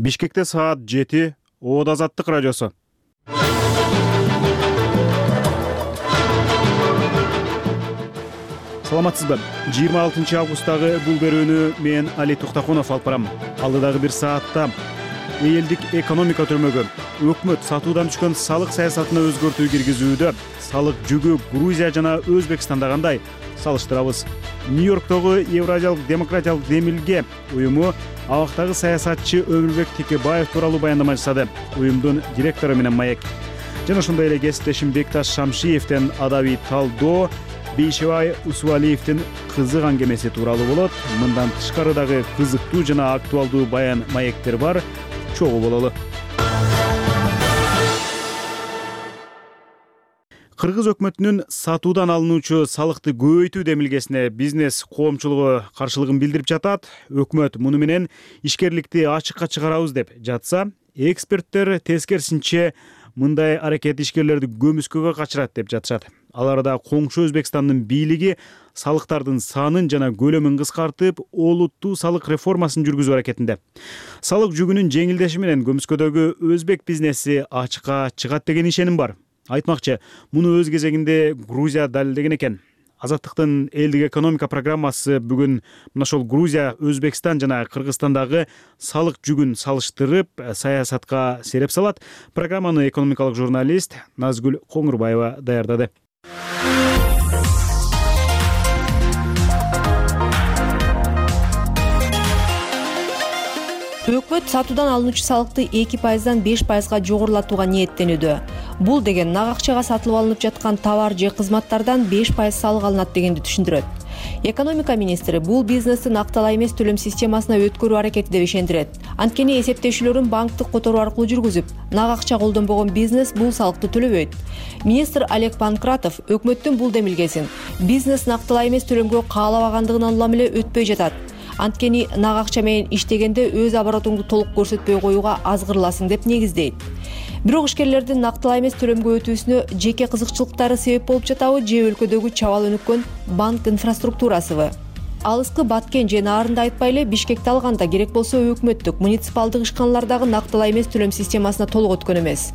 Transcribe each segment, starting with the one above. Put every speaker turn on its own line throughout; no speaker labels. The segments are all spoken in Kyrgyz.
Бишкекте саат 7, Оод Азаттык радиосу. Саламатсызбы? 26 августтагы бул берүүнү мен Али Туктакунов алып барам. Алдыдагы бир саатта элдик экономика түрмөгү, өкмөт сатуудан түшкөн салык саясатына өзгөртүү киргизүүдө, салык жүгү Грузия жана Өзбекстанда кандай салыштырабыз. Нью-Йорктогу Евразиялык демократиялык демилге уюму абактагы саясатчы Өмүрбек Текебаев тууралуу баяндама жасады. Уюмдун директору менен маек. Жана ошондой эле кесиптешим Бекташ Шамшиевден адаби талдоо, Бейшебай Усубалиевдин кызык аңгемеси тууралуу болот. Мындан тышкары дагы кызыктуу жана актуалдуу баян маектер бар. Чогуу бололу. Кыргыз өкмөтүнүн сатуудан алынуучу салыкты көбөйтүү демилгесине бизнес коомчулугу каршылыгын билдирип жатат. Өкмөт муну менен ишкерликти ачыкка чыгарабыз деп жатса, эксперттер тескерисинче мындай аракет ишкерлерди көмүскөгө качырат деп жатышат. Аларда коңшу Өзбекстандын бийлиги салыктардын санын жана көлөмүн кыскартып, олуттуу салык реформасын жүргүзүү аракетинде. Салык жүгүнүн жеңилдеши менен көмүскөдөгү өзбек бизнеси ачыкка чыгат деген ишеним бар. Айтмакчы, муну өз кезегинде Грузия далилдеген экен. Азаттыктын элдик экономика программасы бүгүн мына ошол Грузия, Өзбекстан жана Кыргызстандагы салык жүгүн салыштырып, саясатка сереп салат. Программаны экономикалык журналист Назгүл Коңурбаева даярдады.
Өкмөт сатуудан алынуучу салыкты 2%дан 5%га жогорулатууга ниеттенүүдө. Бул деген нак акчага сатылып алынып жаткан товар же кызматтардан 5% салык алынат дегенди түшүндүрөт. Экономика министри бул бизнести накталай эмес төлөм системасына өткөрүү аракети деп ишендирет. Анткени эсептешүүлөрүн банктык которуу аркылуу жүргүзүп, нак акча колдонбогон бизнес бул салыкты төлөбөйт. Министр Олег Панкратов өкмөттүн бул демилгесин бизнес накталай эмес төлөмгө каалабагандыгынан улам эле өтпөй жатат. Анткени нак акча менен иштегенде өз оборотуңду толук көрсөтпөй коюуга азгырыласың деп негиздейт. Бирок ишкерлердин накталай эмес төлөмгө өтүүсүнө жеке кызыкчылыктары себеп болуп жатабы же өлкөдөгү чабал өнүккөн банк инфраструктурасыбы? Алыскы Баткен же Наарынды айтпай эле Бишкекти алганда керек болсо өкмөттүк, муниципалдык ишканалардагы накталай эмес төлөм системасына толук өткөн эмес.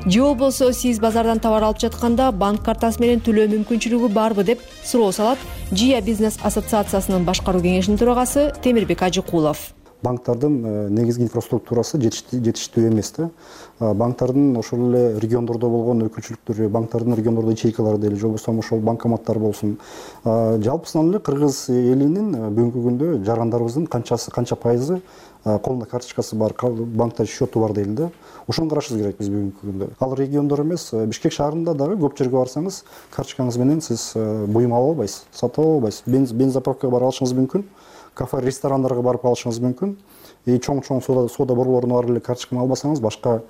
Же болбосо сиз базардан товар алып жатканда банк картасы менен төлөө мүмкүнчүлүгү барбы деп суроо салат Жия бизнес ассоциациясынын башкаруу кеңешинин төрагасы Темирбек Ажыкулов.
Банктардын негизги инфраструктурасы жетиштүү эмес да. Банктардын ошол эле региондордо болгон өкүлчүлүктөрү, банктардын региондордо ячейкалары дейли, же болбосо ошол банкоматтар болсун. Жалпысынан эле кыргыз элинин бүгүнкү күндө жарандарыбыздын канча пайызы колунда карточкасы бар, банкта счету бар дейли да. Ошону карашыбыз керек биз бүгүнкү күндө. Ал региондор эмес, Бишкек шаарында дагы көп жерге барсаңыз, карточкаңыз менен сиз буюм ала албайсыз, сатып ала албайсыз. Бензопаковкага барып алышыңыз мүмкүн. Кафе, ресторандарга барып алышыңыз мүмкүн. Чоң сода борборуна барып эле карточканы албасаңыз, башка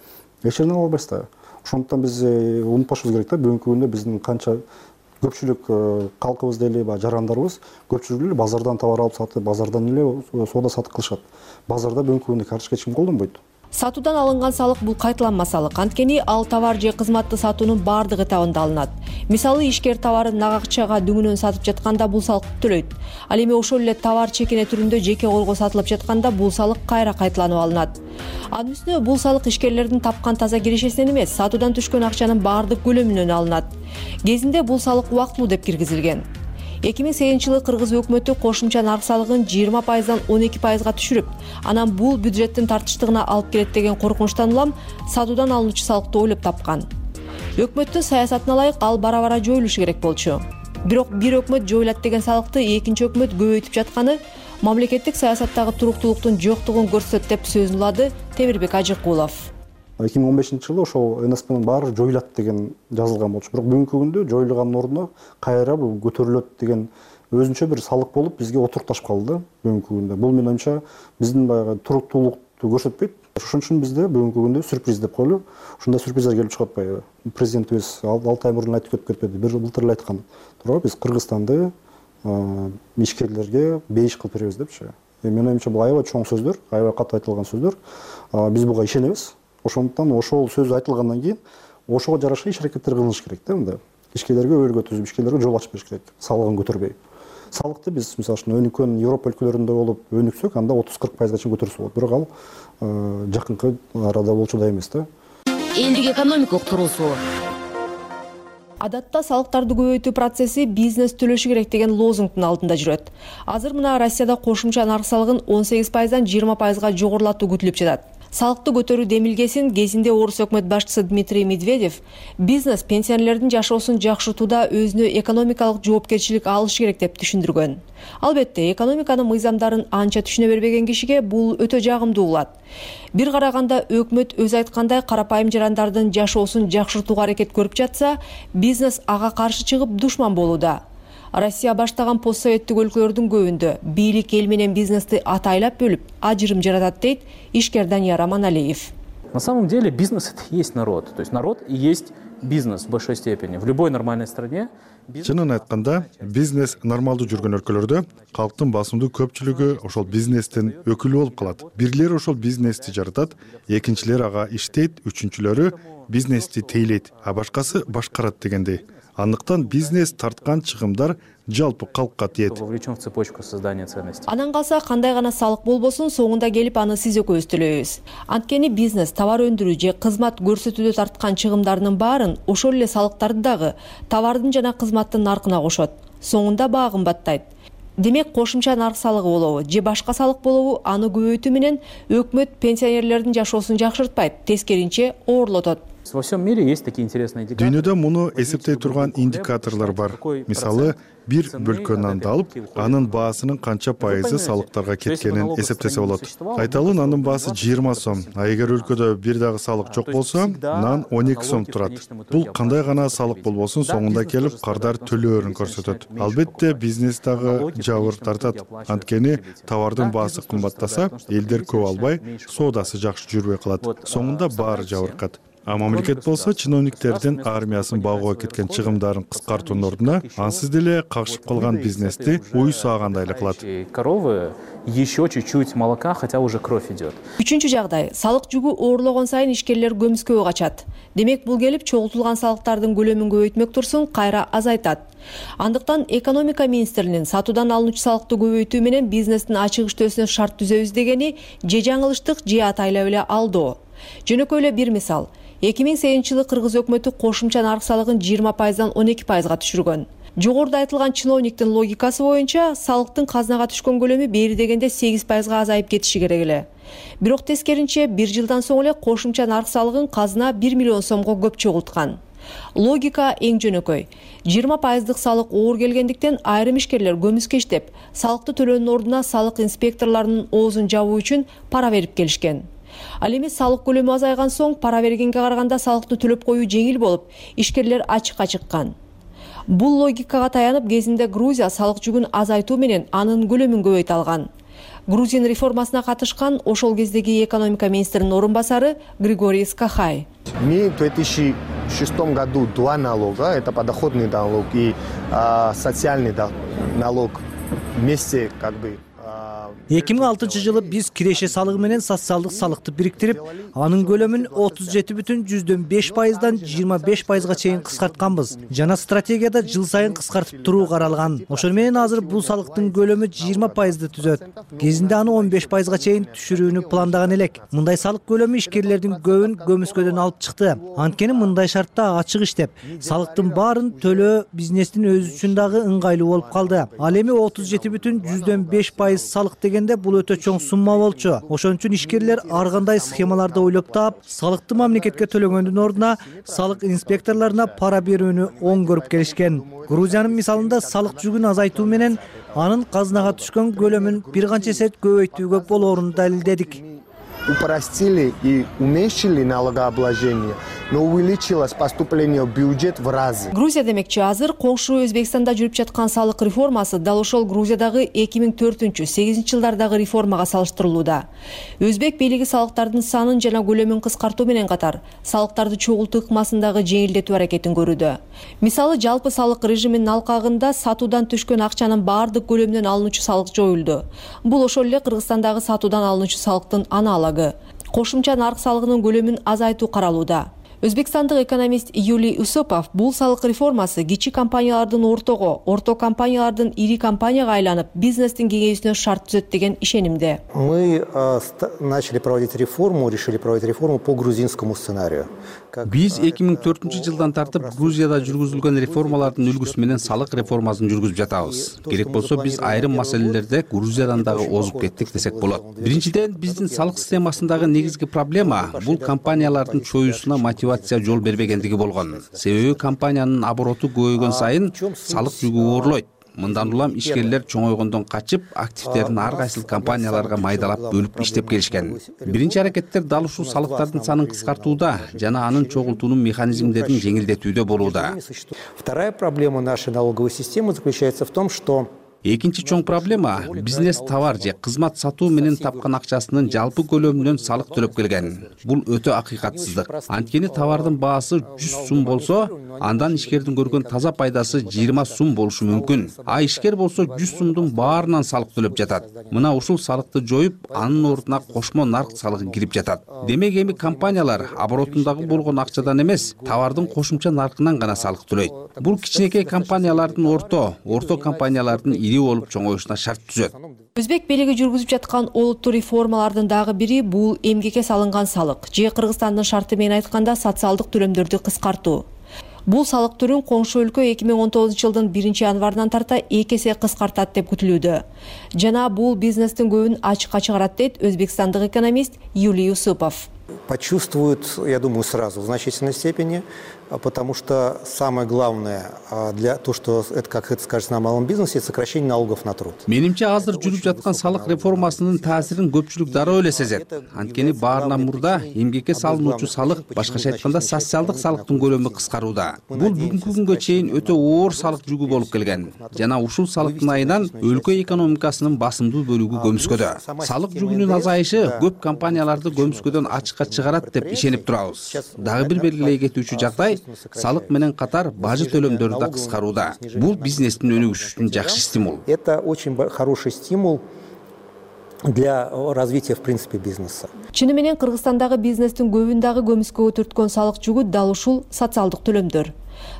эч жерден ала албайсыз да. Ошондуктан биз унутпашыбыз керек да, бүгүнкү күндө биздин канча көпчүлүк калкыбыз дейли, жарандарыбыз көпчүлүгү эле базардан товар алып сатып, базардан эле соода сатык кылышат. Базарда бүгүнкү күндө карточка эч ким колдонбойт.
Сатуудан алынган салык бул кайталанма салык. Анткени ал товар же кызматты сатуунун бардык этабында алынат. Мисалы, ишкер товарын нак акчага дүңүнөн сатып жатканда бул салыкты төлөйт. Ал эми ошол эле товар чекене түрүндө жеке колго сатылып жатканда бул салык кайра кайталанып алынат. Анын үстүнө бул салык ишкерлердин тапкан таза кирешесинен эмес, сатуудан түшкөн акчанын бардык көлөмүнөн алынат. Кезинде бул салык убактылуу деп киргизилген. 2008-жылы Кыргыз өкмөтү кошумча нарк салыгын 20%дан 12%га түшүрүп, анан бул бюджеттин тартыштыгына алып келет деген коркунучтан улам сатуудан алынуучу салыкты ойлоп тапкан. Өкмөттүн саясатына ылайык ал бара-бара жоюлушу керек болчу. Бирок бир өкмөт жоюлат деген салыкты экинчи өкмөт көбөйтүп жатканы мамлекеттик саясаттагы туруктуулуктун жоктугун көрсөтөт деп сөзүн улады Темирбек Ажыкулов.
2015-жылы ошол НСПнын баары жоюлат деген жазылган болчу. Бирок бүгүнкү күндө жоюлганын ордуна кайра бул көтөрүлөт деген өзүнчө бир салык болуп бизге отурташып калды бүгүнкү күндө. Бул менин оюмча биздин баягы туруктуулукту көрсөтпөйт. Ошон үчүн бизде бүгүнкү күндө сюрприз деп коелу. Ушундай сюрприздер келип чыгып атпайбы? Президентибиз 6 ай мурун айтып кетпеди. Былтыр эле айткан. Туурабы, биз Кыргызстанды ишкерлерге бейиш кылып беребиз депчи. Менин оюмча бул аябай чоң сөздөр, аябай катуу айтылган сөздөр. Биз буга ишенебиз. Ошондуктан ошол сөз айтылгандан кийин ошого жараша иш аракеттер кылыныш керек да мында. Ишкерлерге өйргө түзүп, ишкерлерге жол ачып бериш керек, салыгын көтөрбөй. салыкты биз мисалы үчүн өнүккөн Европа өлкөлөрүндө болуп өнүксөк, анда 30-40% чейин көтөрсө болот. Бирок ал жакынкы арада болчудай эмес да.
Элдик экономикалык туруусу.
Адатта салыктарды көбөйтүү процесси бизнес төлөшү керек деген лозунгдун алдында жүрөт. Азыр мына Россияда кошумча нарк салыгын 18%дан 20%га жогорулатуу күтүлүп жатат. Салыкты көтөрүү демилгесин кезинде Орус өкмөт башчысы Дмитрий Медведев бизнес пенсионерлердин жашоосун жакшыртууда өзүнө экономикалык жоопкерчилик алышы керек деп түшүндүргөн. Албетте, экономиканын мыйзамдарын анча түшүнө бербеген кишиге бул өтө жагымдуу болот. Бир караганда өкмөт өзү айткандай карапайым жарандардын жашоосун жакшыртууга аракет көрүп жатса, бизнес ага каршы чыгып душман болууда. Россия баштаган постсоветтик өлкөлөрдүн көбүндө бийлик эл менен бизнести атайлап бөлүп, ажырым жаратат дейт ишкер Данияр Аманалиев.
На самом деле бизнес — это и есть народ. То есть народ и есть бизнес в большой степени. В любой нормальной стране.
Чынын айтканда, бизнес нормалдуу жүргөн өлкөлөрдө калктын басымдуу көпчүлүгү ошол бизнестин өкүлү болуп калат. Бирлери ошол бизнести жаратат, экинчилери ага иштейт, үчүнчүлөрү бизнести тейлейт, а башкасы башкарат дегендей. Андыктан бизнес тарткан чыгымдар жалпы калкка тиет.
Вовлечен в цепочку создания ценностей.
Анан калса кандай гана салык болбосун, соңунда келип аны сиз экөөбүз төлөйбүз. Анткени бизнес товар өндүрүү же кызмат көрсөтүүдө тарткан чыгымдарынын баарын ошол эле салыктарды дагы товардын жана кызматтын наркына кошот. Соңунда баа кымбаттайт. Демек, кошумча нарк салыгы болобу же башка салык болобу, аны көбөйтүү менен өкмөт пенсионерлердин жашоосун жакшыртпайт, тескеринче оорлотот.
Во всем мире есть такие интересные индикаторы.
Дүйнөдө муну эсептей турган индикаторлор бар. Мисалы, бир бөлкө нанды алып, анын баасынын канча пайызы салыктарга кеткенин эсептесе болот. Айталы нандын баасы 20 сом, а эгер өлкөдө бир дагы салык жок болсо, нан 12 сом турат. Бул кандай гана салык болбосун, соңунда келип кардар төлөөрүн көрсөтөт. Албетте, бизнес дагы жабыр тартат. Анткени товардын баасы кымбаттаса, элдер көп албай, соодасы жакшы жүрбөй калат. Соңунда баары жабыркат. А мамлекет болсо чиновниктердин армиясын багууга кеткен чыгымдарын кыскартуунун ордуна ансыз деле кагышып калган бизнести уй саагандай эле кылат.
Коровы еще чуть-чуть молока, хотя уже кровь идет.
Үчүнчү жагдай, салык жүгү оорлогон сайын ишкерлер көмүскөгө качат. Демек, бул келип чогултулган салыктардын көлөмүн көбөйтмөк турсун кайра азайтат. Андыктан экономика министринин сатуудан алынуучу салыкты көбөйтүү менен бизнестин ачык иштөөсүнө шарт түзөбүз дегени же жаңылыштык же атайлап эле алдоо. Жөнөкөй эле бир мисал. 2008-жылы Кыргыз өкмөтү кошумча нарк салыгын 20%дан 12%га түшүргөн. Жогоруда айтылган чиновниктин логикасы боюнча салыктын казынага түшкөн көлөмү бери дегенде 8%га азайып кетиши керек эле. Бирок тескеринче 1 жылдан соң эле кошумча нарк салыгын казына 1 миллион сомго көп чогулткан. Логика эң жөнөкөй. 20%дык салык оор келгендиктен айрым ишкерлер көмүскө иштеп, салыкты төлөөнүн ордуна салык инспекторлорунун оозун жабуу үчүн пара берип келишкен. Ал эми салык көлөмү азайган соң пара бергенге караганда салыкты төлөп коюу жеңил болуп, ишкерлер ачыкка чыккан. Бул логикага таянып кезинде Грузия салык жүгүн азайтуу менен анын көлөмүн көбөйтө алган. Грузин реформасына катышкан ошол кездеги экономика министринин орун басары Григорий Скахай.
Мы в 2006 году два налога, это подоходный налог и социальный налог вместе как бы.
2006-жылы биз киреше салыгы менен социалдык салыкты бириктирип, анын көлөмүн 37,5%дан 25%га чейин кыскартканбыз. Жана стратегияда жыл сайын кыскартып туруу каралган. Ошол менен азыр бул салыктын көлөмү 20%ды түзөт. Кезинде аны 15%га чейин түшүрүүнү пландаган элек. Мындай салык көлөмү ишкерлердин көбүн көмүскөдөн алып чыкты. Анткени мындай шартта ачык иштеп, салыктын баарын төлөө бизнестин өзү үчүн дагы ыңгайлуу болуп калды. Ал эми 37,5% салык дегенде бул өтө чоң сумма болчу. Ошон үчүн ишкерлер ар кандай схемаларды ойлоп таап, салыкты мамлекетке төлөгөндүн ордуна салык инспекторлоруна пара берүүнү оң көрүп келишкен. Грузиянын мисалында салык жүгүн азайтуу менен анын казынага түшкөн көлөмүн бир канча эсе көбөйтүүгө болоорун далилдедик.
Упростили и уменьшили налогообложение, но увеличилось поступление в бюджет в разы.
Грузия демекчи, азыр коңшу Өзбекстанда жүрүп жаткан салык реформасы дал ошол Грузиядагы 2004-8 жылдардагы реформага салыштырылууда. Өзбек бийлиги салыктардын санын жана көлөмүн кыскартуу менен катар, салыктарды чогултуу ыкмасындагы жеңилдетүү аракетин көрүүдө. Мисалы, жалпы салык режиминин алкагында сатуудан түшкөн акчанын баардык көлөмүнөн алынуучу салык жоюлду. Бул ошол эле Кыргызстандагы сатуудан алынуучу салыктын аналогу. Кошумча нарк салыгынын көлөмүн азайтуу каралууда. Өзбекстандык экономист Юлий Усопов бул салык реформасы кичи компаниялардын ортого, орто компаниялардын ири компанияга айланып, бизнестин кеңейүүсүнө шарт түзөт деген ишенимде.
Мы начали проводить реформу, решили проводить реформу по грузинскому сценарию.
Биз 2004-жылдан тартып Грузияда жүргүзүлгөн реформалардын үлгүсү менен салык реформасын жүргүзүп жатабыз. Керек болсо биз айрым маселелерде Грузиядан дагы озуп кеттик десек болот. Биринчиден, биздин салык системасындагы негизги проблема бул компаниялардын чоюусуна мотивация жол бербегендиги болгон. Себеби компаниянын обороту көбөйгөн сайын салык жүгү оорлойт. Мындан улам ишкерлер чоңойгондон качып, активдерин ар кайсыл компанияларга майдалап бөлүп иштеп келишкен. Биринчи аракеттер дал ушул салыктардын санын кыскартууда жана анын чогултуунун механизмдерин жеңилдетүүдө болууда.
Вторая проблема нашей налоговой системы заключается в том, что
Экинчи чоң проблема бизнес товар же кызмат сатуу менен тапкан акчасынын жалпы көлөмүнөн салык төлөп келген. Бул өтө акыйкатсыздык. Анткени товардын баасы 100 сум болсо, андан ишкердин көргөн таза пайдасы 20 сум болушу мүмкүн. А ишкер болсо 100 сумдун баарынан салык төлөп жатат. Мына ушул салыкты жоюп, анын ордуна кошмо нарк салыгы кирип жатат. Демек эми компаниялар оборотундагы болгон акчадан эмес, товардын кошумча наркынан гана салык төлөйт. Бул кичинекей компаниялардын орто компаниялардын ири болуп чоңоюшуна шарт түзөт.
Өзбек бийлиги жүргүзүп жаткан олуттуу реформалардын дагы бири бул эмгекке салынган салык же Кыргызстандын шарты менен айтканда социалдык төлөмдөрдү кыскартуу. Бул салык түрүн коңшу өлкө 2019-жылдын 1-январынан тарта 2 эсе кыскартат деп күтүлүүдө. Жана бул бизнестин көбүн ачыкка чыгарат дейт өзбекстандык экономист Юлий Усопов.
Почувствуют, я думаю, сразу в значительной степени, потому что самое главное для того, что это, как это скажется на малом бизнесе, это сокращение налогов на труд.
Менимче азыр жүрүп жаткан салык реформасынын таасирин көпчүлүк дароо эле сезет. Анткени баарынан мурда эмгекке салынуучу салык, башкача айтканда социалдык салыктын көлөмү кыскарууда. Бул бүгүнкү күнгө чейин өтө оор салык жүгү болуп келген. Жана ушул салыктын айынан өлкө экономикасынын басымдуу бөлүгү көмүскөдө. Салык жүгүнүн азайышы көп компанияларды көмүскөдөн ачыкка чыгарат деп ишенип турабыз. Дагы бир белгилей кетүүчү жагдай салык менен катар бажы төлөмдөрү да кыскарууда. Бул бизнестин өнүгүшү үчүн жакшы стимул.
Это очень хороший стимул для развития в принципе бизнеса.
Чыны менен Кыргызстандагы бизнестин көбүн дагы көмүскөгө түрткөн салык жүгү дал ушул социалдык төлөмдөр.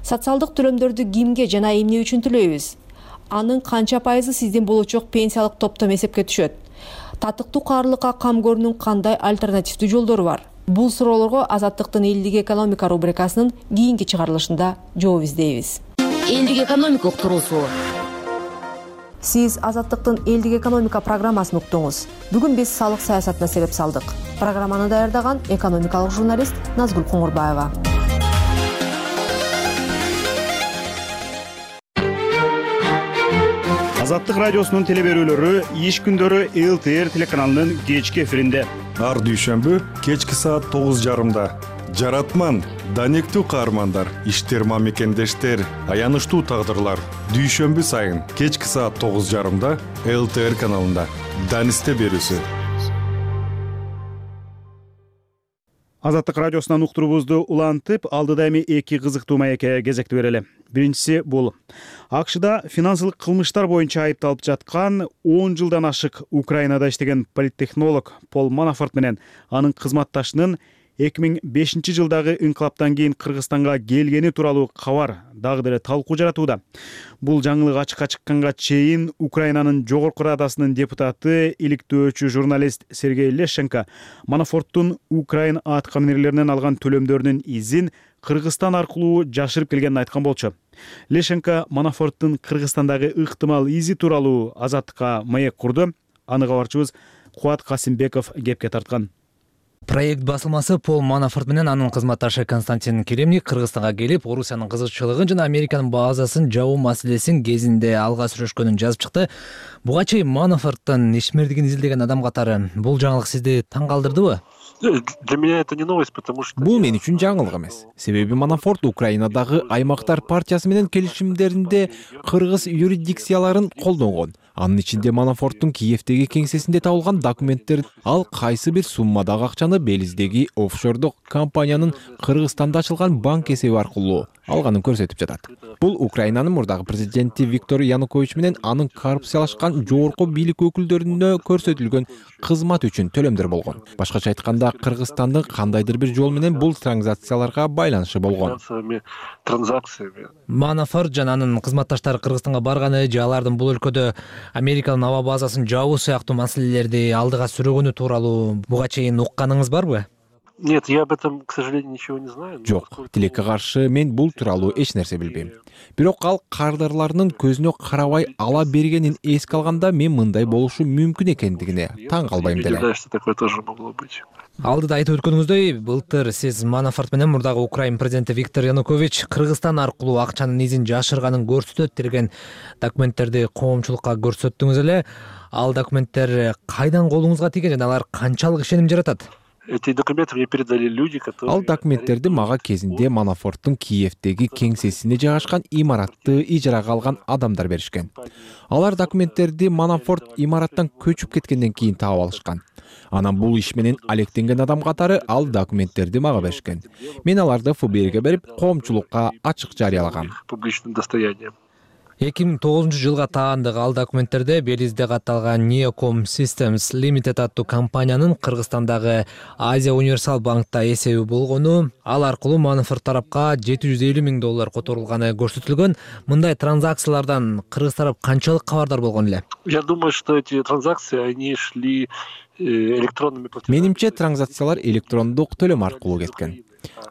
Социалдык төлөмдөрдү кимге жана эмне үчүн төлөйбүз? Анын канча пайызы сиздин болочок пенсиялык топтом эсепке түшөт? Татыктуу каарылыкка кам көрүүнүн кандай альтернативдүү жолдору бар? Бул суроолорго Азаттыктын элдик экономика рубрикасынын кийинки чыгарылышында жооп издейбиз.
Элдик экономика уктуруусу.
Сиз Азаттыктын элдик экономика программасын уктуңуз. Бүгүн биз салык саясатына себеп салдык. Программаны даярдаган экономикалык журналист Назгүл Коңурбаева.
Азаттык радиосунун телеберүүлөрү иш күндөрү ЛТР телеканалынын кечки эфиринде.
Ар дүйшөмбү кечки саат 9:30. Жаратман, данектүү каармандар, иштер мамекендештер, аянычтуу тагдырлар. Дүйшөмбү сайын кечки саат 9:30 ЛТР каналында. Данисте берүүсү.
Азаттык радиосунан уктуруубузду улантып, алдыда эми эки кызыктуу маекке кезекти берели. Биринчиси бул АКШда финансылык кылмыштар боюнча айыпталып жаткан 10 жылдан ашык Украинада иштеген политтехнолог Пол Манафорт менен анын кызматташынын 2005-жылдагы инкылаптан кийин Кыргызстанга келгени тууралуу кабар дагы деле талкуу жаратууда. Бул жаңылык ачыкка чыкканга чейин Украинанын жогорку радасынын депутаты, иликтөөчү журналист Сергей Лещенко Манафорттун Украин аткаминерлеринен алган төлөмдөрүнүн изин Кыргызстан аркылуу жашырып келгенин айткан болчу. Лещенко Манафорттун Кыргызстандагы ыктымал изи тууралуу Азаттыкка маек курду. Аны кабарчыбыз Кубат Касимбеков кепке тарткан.
Проект басылмасы Пол Манафорт менен анын кызматташы Константин Керемник Кыргызстанга келип, Орусиянын кызыкчылыгын жана Американын базасын жабуу маселесин кезинде алга сүрүшкөнүн жазып чыкты. Буга чейин Манафорттун ишмердигин изилдеген адам катары бул жаңылык сизди таң калтырдыбы?
Для меня это не новость, потому что
бул мен үчүн жаңылык эмес. Себеби Манафорт Украинадагы аймактар партиясы менен келишимдеринде кыргыз юрисдикцияларын колдонгон. Анын ичинде Манафорттун Киевдеги кеңсесинде табылган документтер ал кайсы бир суммадагы акчаны Белиздеги офшордук компаниянын Кыргызстанда ачылган банк эсеби аркылуу алганын көрсөтүп жатат. Бул Украинанын мурдагы президенти Виктор Янукович менен анын коррупциялашкан жогорку бийлик өкүлдөрүнө көрсөтүлгөн кызмат үчүн төлөмдөр болгон. Башкача айтканда, Кыргызстандын кандайдыр бир жол менен бул транзакцияларга байланышы болгон.
Манафорт жана анын кызматташтары Кыргызстанга барганы же алардын бул өлкөдө Американын аба базасын жабуу сыяктуу маселелерди алдыга сүрөгөнү тууралуу буга чейин укканыңыз барбы?
Нет, я об этом, к сожалению, ничего не знаю.
Жок, тилекке каршы мен бул тууралуу эч нерсе билбейм. Бирок ал кардарларынын көзүнө карабай ала бергенин эске алганда мен мындай болушу мүмкүн экендигине таң калбайм деле.
Да, что такое тоже могло быть.
Алдыда айтып өткөнүңүздөй, былтыр сиз Манафорт менен мурдагы Украин президенти Виктор Янукович Кыргызстан аркылуу акчанын изин жашырганын көрсөтөт деген документтерди коомчулукка көрсөттүңүз эле. Ал документтер кайдан колуңузга тийген жана алар канчалык ишеним жаратат?
Эти документы мне передали люди, которые...
Ал документтерди мага кезинде Манафорттун Киевдеги кеңсесине жайгашкан имаратты ижарага алган адамдар беришкен. Алар документтерди Манафорт имараттан көчүп кеткенден кийин таап алышкан. Анан бул иш менен алектенген адам катары ал документтерди мага беришкен. Мен аларды ФБРге берип, коомчулукка ачык жарыялагам.
Публичным достоянием.
2009-жылга таандык ал документтерде Белизде катталган Neocom Systems Limited аттуу компаниянын Кыргызстандагы Азия Универсал банкта эсеби болгону, ал аркылуу Манафорт тарапка $750,000 которулганы көрсөтүлгөн. Мындай транзакциялардан Кыргыз тарап канчалык кабардар болгон эле?
Я думаю, что эти транзакции, они шли электронными платежами.
Менимче транзакциялар электрондук төлөм аркылуу кеткен.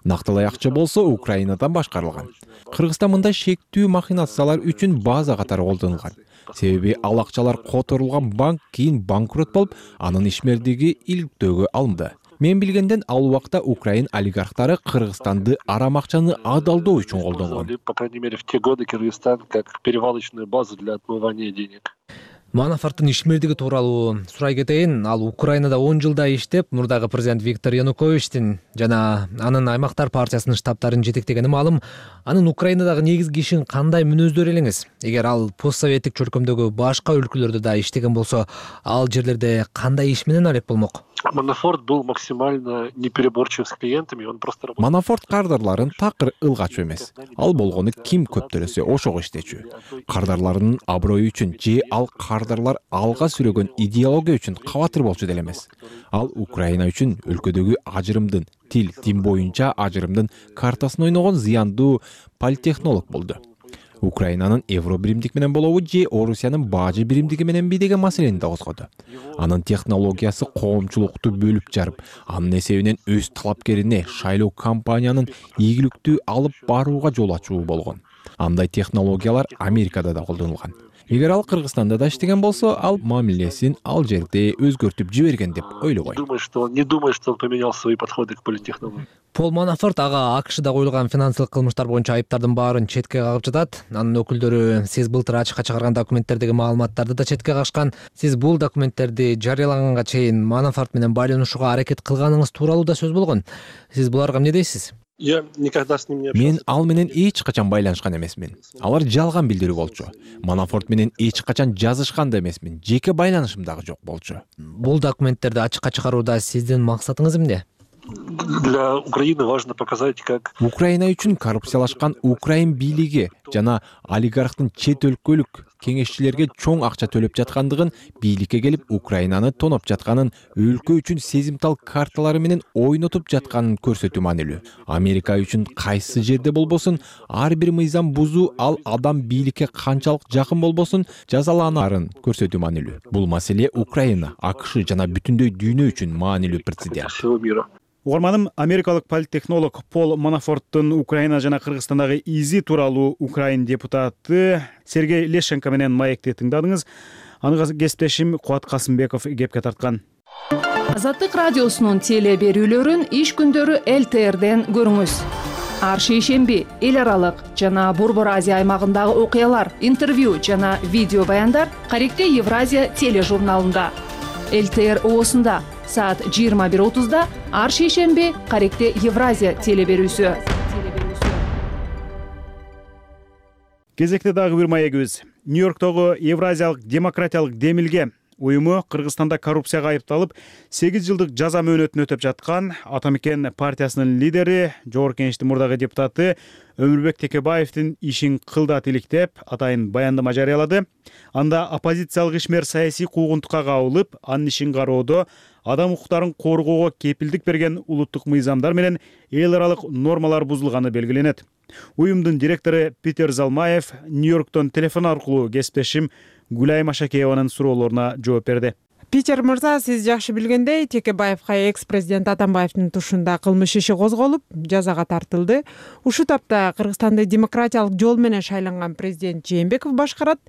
Нактылай акча болсо Украинадан башкарылган. Кыргызстан мындай шектүү махинациялар үчүн база катары колдонулган. Себеби ал акчалар которулган банк кийин банкрот болуп, анын ишмердиги иликтөөгө алынды. Мен билгенден ал убакта Украин олигархтары Кыргызстанды арам акчаны адалдоо үчүн колдонгон.
По крайней мере, в те годы Кыргызстан как перевалочную базу для отмывания денег.
Манафорттун ишмердиги тууралуу сурай кетейин. Ал Украинада 10 жылда иштеп, мурдагы президент Виктор Януковичтин жана анын аймактар партиясынын штабтарын жетектегени маалым. Анын Украинадагы негизги ишин кандай мүнөздөр элеңиз? Эгер ал постсоветтик чөлкөмдөгү башка өлкөлөрдө да иштеген болсо, ал жерлерде кандай иш менен алек болмок?
Манафорт был максимально непереборчив с клиентами, он просто работал.
Манафорт кардарларын такыр ылгач эмес. Ал болгону ким көп төлөсө ошого иштечү. Кардарларынын аброю үчүн же ал кардарлар алга сүрөгөн идеология үчүн кабатыр болчу деле эмес. Ал Украина үчүн өлкөдөгү ажырымдын, тил боюнча ажырымдын картасын ойногон зыяндуу политтехнолог болду. Украинанын евро биримдик менен болобу же Орусиянын бажы биримдиги мененби деген маселени да козгоду. Анын технологиясы коомчулукту бөлүп жарып, анын эсебинен өз талапкерине шайлоо кампаниянын ийгиликтүү алып барууга жол ачуу болгон. Андай технологиялар Америкада да колдонулган. Эгер ал Кыргызстанда да иштеген болсо, ал мамилесин ал жерде өзгөртүп жиберген деп ойлобойм.
Не думаю, что он поменял свои подходы к политтехнологии.
Пол Манафорт ага АКШда коюлган финансылык кылмыштар боюнча айыптардын баарын четке кагып жатат. Анын өкүлдөрү сиз былтыр ачыкка чыгарган документтердеги маалыматтарды да четке кагышкан. Сиз бул документтерди жарыялаганга чейин Манафорт менен байланышууга аракет кылганыңыз тууралуу да сөз болгон. Сиз буларга эмне дейсиз?
Я никогда с ним не общался.
Мен ал менен эч качан байланышкан эмесмин. Алар жалган билдирүү болчу. Манафорт менен эч качан жазышкан да эмесмин. Жеке байланышым дагы жок болчу.
Бул документтерди ачыкка чыгарууда сиздин максатыңыз эмне?
Для Украины важно показать, как
Украина үчүн коррупциялашкан Украин бийлиги жана олигархтын чет өлкөлүк кеңешчилерге чоң акча төлөп жаткандыгын, бийликке келип Украинаны тоноп жатканын, өлкө үчүн сезимтал карталары менен ойнотуп жатканын көрсөтүү маанилүү. Америка үчүн кайсы жерде болбосун, ар бир мыйзам бузуу ал адам бийликке канчалык жакын болбосун жазаланаарын көрсөтүү маанилүү. Бул маселе Украина, АКШ жана бүтүндөй дүйнө үчүн маанилүү прецедент.
Угарманым, америкалык политтехнолог Пол Манафорттун Украина жана Кыргызстандагы изи тууралуу Украин депутаты Сергей Лещенко менен маекти тыңдадыңыз. Аны кесиптешим Кубат Касымбеков кепке тарткан.
Азаттык радиосунун теле берүүлөрүн иш күндөрү ЛТРден көрүңүз. Ар шейшемби эл аралык жана Борбор Азия аймагындагы окуялар, интервью жана видео баяндар Каректе Евразия тележурналында. ЛТР оосунда саат 21:30 ар шейшемби Каректе Евразия теле берүүсү.
Кезекте дагы бир маегибиз. Нью-Йорктогу Евразиялык демократиялык демилге уюму Кыргызстанда коррупцияга айыпталып 8 жылдык жаза мөөнөтүн өтөп жаткан Атамекен партиясынын лидери, Жогорку Кеңештин мурдагы депутаты Өмүрбек Текебаевдин ишин кылдат иликтеп, атайын баяндама жарыялады. Анда оппозициялык ишмер саясий куугунтукка кабылып, анын ишин кароодо адам укуктарын коргоого кепилдик берген улуттук мыйзамдар менен эл аралык нормалар бузулганы белгиленет. Уюмдун директору Питер Залмаев Нью-Йорктон телефон аркылуу кесиптешим Гүлайым Ашакееванын суроолоруна жооп берди.
Питер мырза, сиз жакшы билгендей, Текебаевга экс-президент Атамбаевдин тушунда кылмыш иши козголуп, жазага тартылды. Ушул тапта Кыргызстанды демократиялык жол менен шайланган президент Жээнбеков башкарат.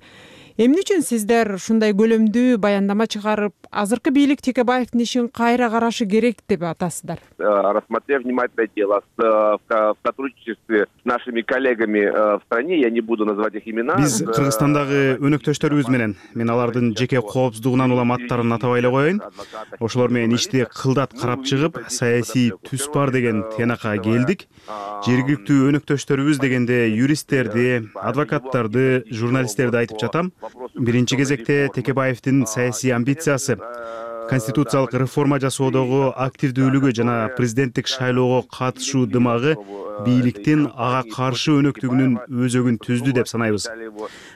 Эмне үчүн сиздер ушундай көлөмдүү баяндама чыгарып, азыркы бийлик Текебаевдин ишин кайра карашы керек деп атасыздар?
Рассмотрев внимательное дело в сотрудничестве с нашими коллегами в стране, я не буду называть их имена.
Биз Кыргызстандагы өнөктөштөрүбүз менен, мен алардын жеке коопсуздугунан улам аттарын атабай эле коеюн. Ошолор менен ишти кылдат карап чыгып, саясий түс бар деген тыянакка келдик. Жергиликтүү өнөктөштөрүбүз дегенде юристтерди, адвокаттарды, журналисттерди айтып жатам. Биринчи кезекте Текебаевдин саясий амбициясы, конституциялык реформа жасоодогу активдүүлүгү жана президенттик шайлоого катышуу дымагы бийликтин ага каршы өнөктүгүнүн өзөгүн түздү деп санайбыз.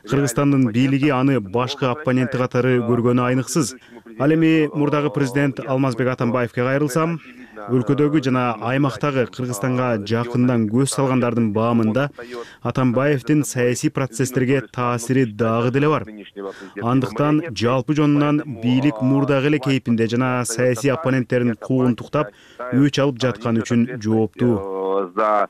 Кыргызстандын бийлиги аны башкы оппоненти катары көргөнү айныксыз. Ал эми мурдагы президент Алмазбек Атамбаевге кайрылсам, өлкөдөгү жана аймактагы Кыргызстанга жакындан көз салгандардын баамында Атамбаевдин саясий процесстерге таасири дагы деле бар. Андыктан жалпы жонунан бийлик мурдагы эле кейпинде жана саясий оппоненттерин куугунтуктап, өч алып жаткан үчүн жооптуу.
За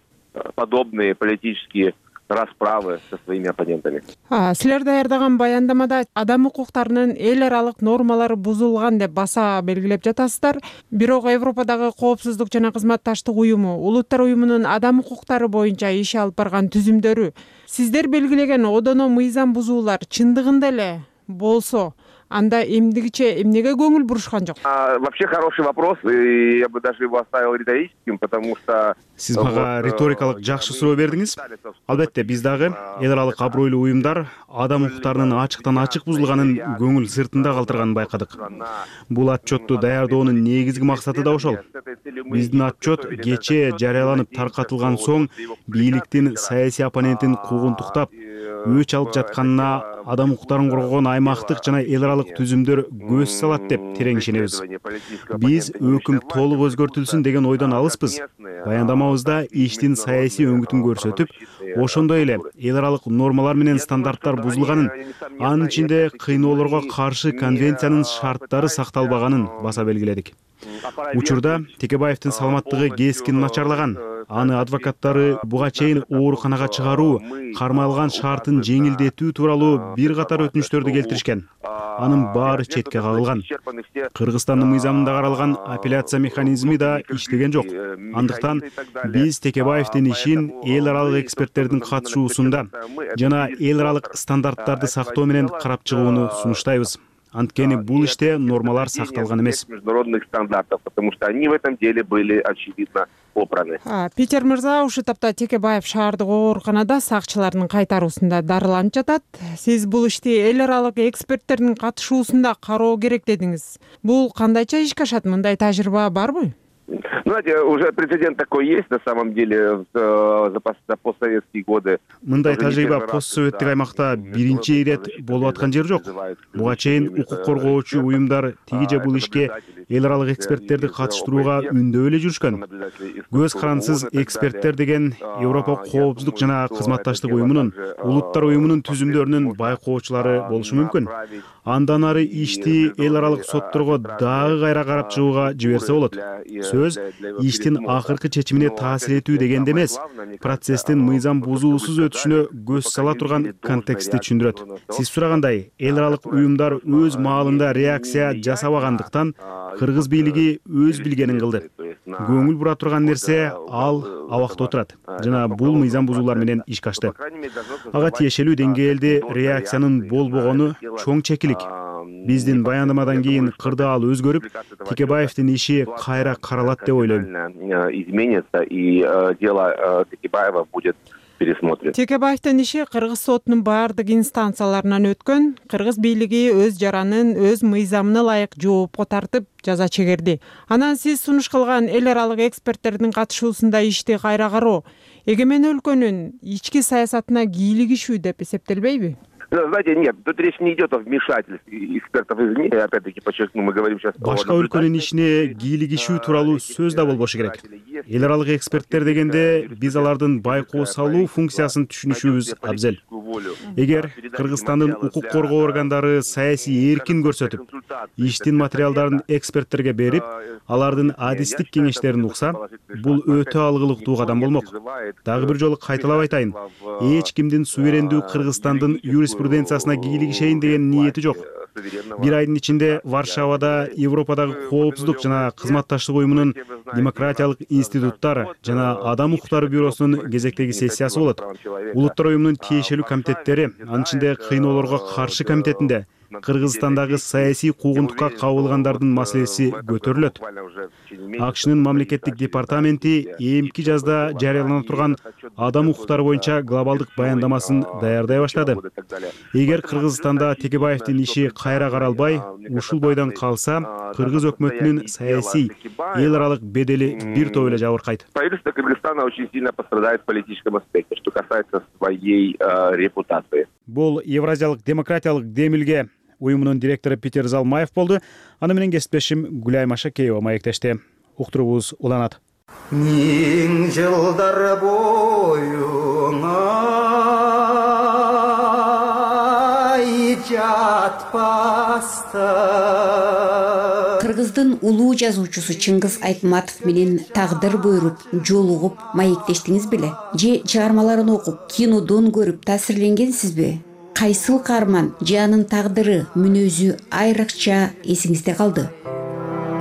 подобные политические расправы со своими оппонентами.
Силер даярдаган баяндамада адам укуктарынын эл аралык нормалары бузулган деп баса белгилеп жатасыздар. Бирок Европадагы коопсуздук жана кызматташтык уюму, улуттар уюмунун адам укуктары боюнча иш алып барган түзүмдөрү сиздер белгилеген одоно мыйзам бузуулар чындыгында эле болсо, анда эмдигиче эмнеге көңүл бурушкан жок?
Вообще хороший вопрос, и я бы даже его оставил риторическим, потому что
сиз мага риторикалык жакшы суроо бердиңиз. Албетте, биз дагы эл аралык абройлуу уюмдар адам укуктарынын ачыктан ачык бузулганын көңүл сыртында калтырганын байкадык. Бул отчетту даярдоонун негизги максаты да ошол. Биздин отчет кечээ жарыяланып таркатылган соң бийликтин саясий оппонентин куугунтуктап, өч алып жатканына адам укуктарын коргогон аймактык жана эл аралык түзүмдөр көз салат деп терең ишенебиз. Биз өкүм толук өзгөртүлсүн деген ойдон алыспыз. Баяндамабызда иштин саясий өңүтүн көрсөтүп, ошондой эле эл аралык нормалар менен стандарттар бузулганын, анын ичинде кыйноолорго каршы конвенциянын шарттары сакталбаганын баса белгиледик. Учурда Текебаевдин саламаттыгы кескин начарлаган. Аны адвокаттары буга чейин ооруканага чыгаруу, кармалган шартын жеңилдетүү тууралуу бир катар өтүнүчтөрдү келтиришкен. Анын баары четке кагылган. Кыргызстандын мыйзамында каралган апелляция механизми да иштеген жок. Андыктан биз Текебаевдин ишин эл аралык эксперттердин катышуусунда жана эл аралык стандарттарды сактоо менен карап чыгууну сунуштайбыз. Анткени бул иште нормалар сакталган эмес.
Международных стандартов, потому что они в этом деле были очевидно попраны.
Питер мырза, ушул тапта Текебаев шаардык ооруканада сакчылардын кайтаруусунда дарыланып жатат. Сиз бул ишти эл аралык эксперттердин катышуусунда кароо керек дедиңиз. Бул кандайча ишке ашат? Мындай тажрыйба барбы?
Знаете, уже прецедент такой есть на самом деле за постсоветские годы.
Мындай тажрыйба постсоветтик аймакта биринчи ирет болуп аткан жер жок. Буга чейин укук коргоочу уюмдар тиги же бул ишке эл аралык эксперттерди катыштырууга үндөп эле жүрүшкөн. Көз карансыз эксперттер деген Европа коопсуздук жана кызматташтык уюмунун, улуттар уюмунун түзүмдөрүнүн байкоочулары болушу мүмкүн. Андан ары ишти эл аралык сотторго дагы кайра карап чыгууга жиберсе болот. Сөз иштин акыркы чечимине таасир этүү дегенде эмес, процесстин мыйзам бузуусуз өтүшүнө көз сала турган контекстти түшүндүрөт. Сиз сурагандай, эл аралык уюмдар өз маалында реакция жасабагандыктан кыргыз бийлиги өз билгенин кылды. Көңүл бура турган нерсе ал абакта отурат жана бул мыйзам бузуулар менен ишке ашты. Ага тиешелүү деңгээлде реакциянын болбогону чоң чекилик. Биздин баяндамадан кийин кырдаал өзгөрүп, Текебаевдин иши кайра каралат деп ойлойм.
Изменится, и дело Текебаева будет пересмотре.
Текебаевдин иши Кыргыз сотунун баардык инстанцияларынан өткөн. Кыргыз бийлиги өз жаранын өз мыйзамына ылайык жоопко тартып жаза чегерди. Анан сиз сунуш кылган эл аралык эксперттердин катышуусунда ишти кайра кароо эгемен өлкөнүн ички саясатына кийлигишүү деп эсептелбейби?
Знаете, нет, тут речь не идет о вмешательстве экспертов извне. Опять-таки подчеркну, мы говорим сейчас
башка өлкөнүн ишине кийлигишүү тууралуу сөз да болбошу керек. Эл аралык эксперттер дегенде биз алардын байкоо салуу функциясын түшүнүшүбүз абзел. Эгер Кыргызстандын укук коргоо органдары саясий эркин көрсөтүп, иштин материалдарын эксперттерге берип, алардын адистик кеңештерин укса, бул өтө алгылыктуу кадам болмок. Дагы бир жолу кайталап айтайын, эч кимдин суверендүү Кыргызстандын юриспруденциясына кийлигишейин деген ниети жок. Бир айдын ичинде Варшавада Европадагы коопсуздук жана кызматташтык уюмунун демократиялык институттар жана адам укуктары бюросунун кезектеги сессиясы болот. Улуттар уюмунун тиешелүү комитеттери, анын ичинде кыйноолорго каршы комитетинде Кыргызстандагы саясий куугунтукка кабылгандардын маселеси көтөрүлөт. АКШнын мамлекеттик департаменти эмки жазда жарыялана турган адам укуктары боюнча глобалдык баяндамасын даярдай баштады. Эгер Кыргызстанда Текебаевдин иши кайра каралбай, ушул бойдон калса, Кыргыз өкмөтүнүн саясий эл аралык бедели бир топ эле жабыркайт.
Правительство Кыргызстана очень сильно пострадает в политическом аспекте, что касается своей репутации.
Бул Евразиялык демократиялык демилге уюмунун директору Питер Залмаев болду. Аны менен кесиптешим Гүлайым Ашакеева маектешти. Уктуруубуз уланат.
Миң жылдар боюңа жатпастан.
Кыргыздын улуу жазуучусу Чыңгыз Айтматов менен тагдыр буйруп, жолугуп маектештиңиз беле? Же чыгармаларын окуп, кинодон көрүп таасирленгенсизби? Кайсыл каарман же анын тагдыры, мүнөзү айрыкча эсиңизде калды?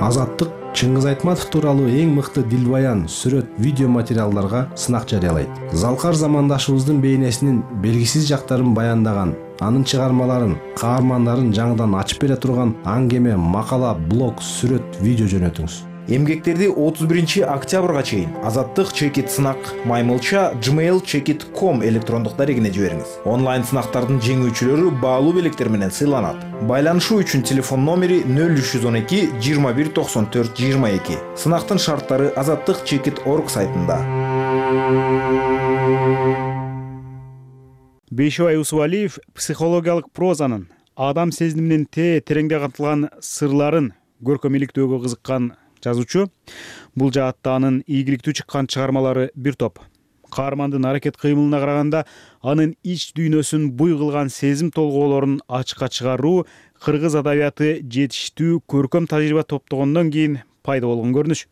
Азаттык Чыңгыз Айтматов тууралуу эң мыкты дилбаян, сүрөт, видео материалдарга сынак жарыялайт. Залкар замандашыбыздын бейнесинин белгисиз жактарын баяндаган, анын чыгармаларын, каармандарын жаңыдан ачып бере турган аңгеме, макала, блог, сүрөт, видео жөнөтүңүз.
Эмгектерди 31 октябрга чейин Азаттык чекит сынак маймылча gmail.com электрондук дарегине жибериңиз. Онлайн сынактардын жеңүүчүлөрү баалуу белектер менен сыйланат. Байланышуу үчүн телефон номери 0312 21 94 22. Сынактын шарттары azattikchekit.org сайтында.
Бейшебай Усубалиев психологиялык прозанын, адам сезиминин тереңде камтылган сырларын көркөм иликтөөгө кызыккан жазуучу. Бул жаатта анын ийгиликтүү чыккан чыгармалары бир топ. Каармандын аракет кыймылына караганда анын ич дүйнөсүн буй кылган сезим толгоолорун ачыкка чыгаруу кыргыз адабияты жетиштүү көркөм тажрыйба топтогондон кийин пайда болгон көрүнүш.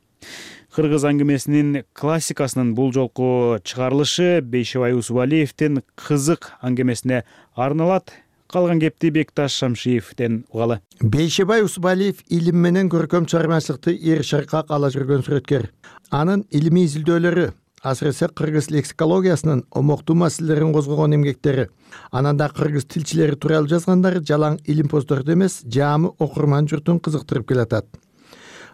Кыргыз аңгемесинин классикасынын бул жолку чыгарылышы Бейшебай Усубалиевдин кызык аңгемесине арналат. Калган кепти Бекташ Шамшиевден угалы.
Бейшебай Усубалиев илим менен көркөм чыгармачылыкты эр шаркак ала жүргөн сүрөткөр. Анын илимий изилдөөлөрү, асыресе кыргыз лексикологиясынын омоктуу маселелерин козгогон эмгектери, анан да кыргыз тилчилери тууралуу жазгандары жалаң илим посторду эмес, жаамы окурман журтун кызыктырып келатат.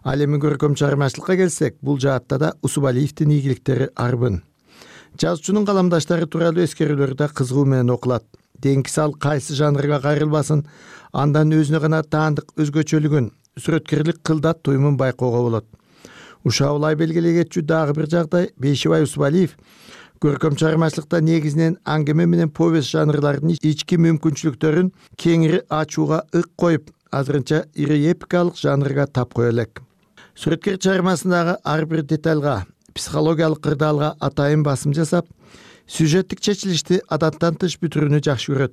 Ал эми көркөм чыгармачылыкка келсек, бул жаатта да Усубалиевдин ийгиликтери арбын. Жазуучунун каламдаштары тууралуу эскерүүлөр да кызыгуу менен окулат. Деңки сал кайсы жанрга кайрылбасын, андан өзүнө гана таандык өзгөчөлүгүн, сүрөткерлик кылдат туюмун байкоого болот. Ушаулай белгилей кетчү дагы бир жагдай Бейшебай Усубалиев көркөм чыгармачылыкта негизинен аңгеме менен повесть жанрларынын ички мүмкүнчүлүктөрүн кеңири ачууга ык коюп, азырынча ири эпикалык жанрга тап кое элек. Сүрөткер чыгармасындагы ар бир детальга, психологиялык кырдаалга атайын басым жасап, сюжеттик чечилишти адаттан тыш бүтүрүүнү жакшы көрөт.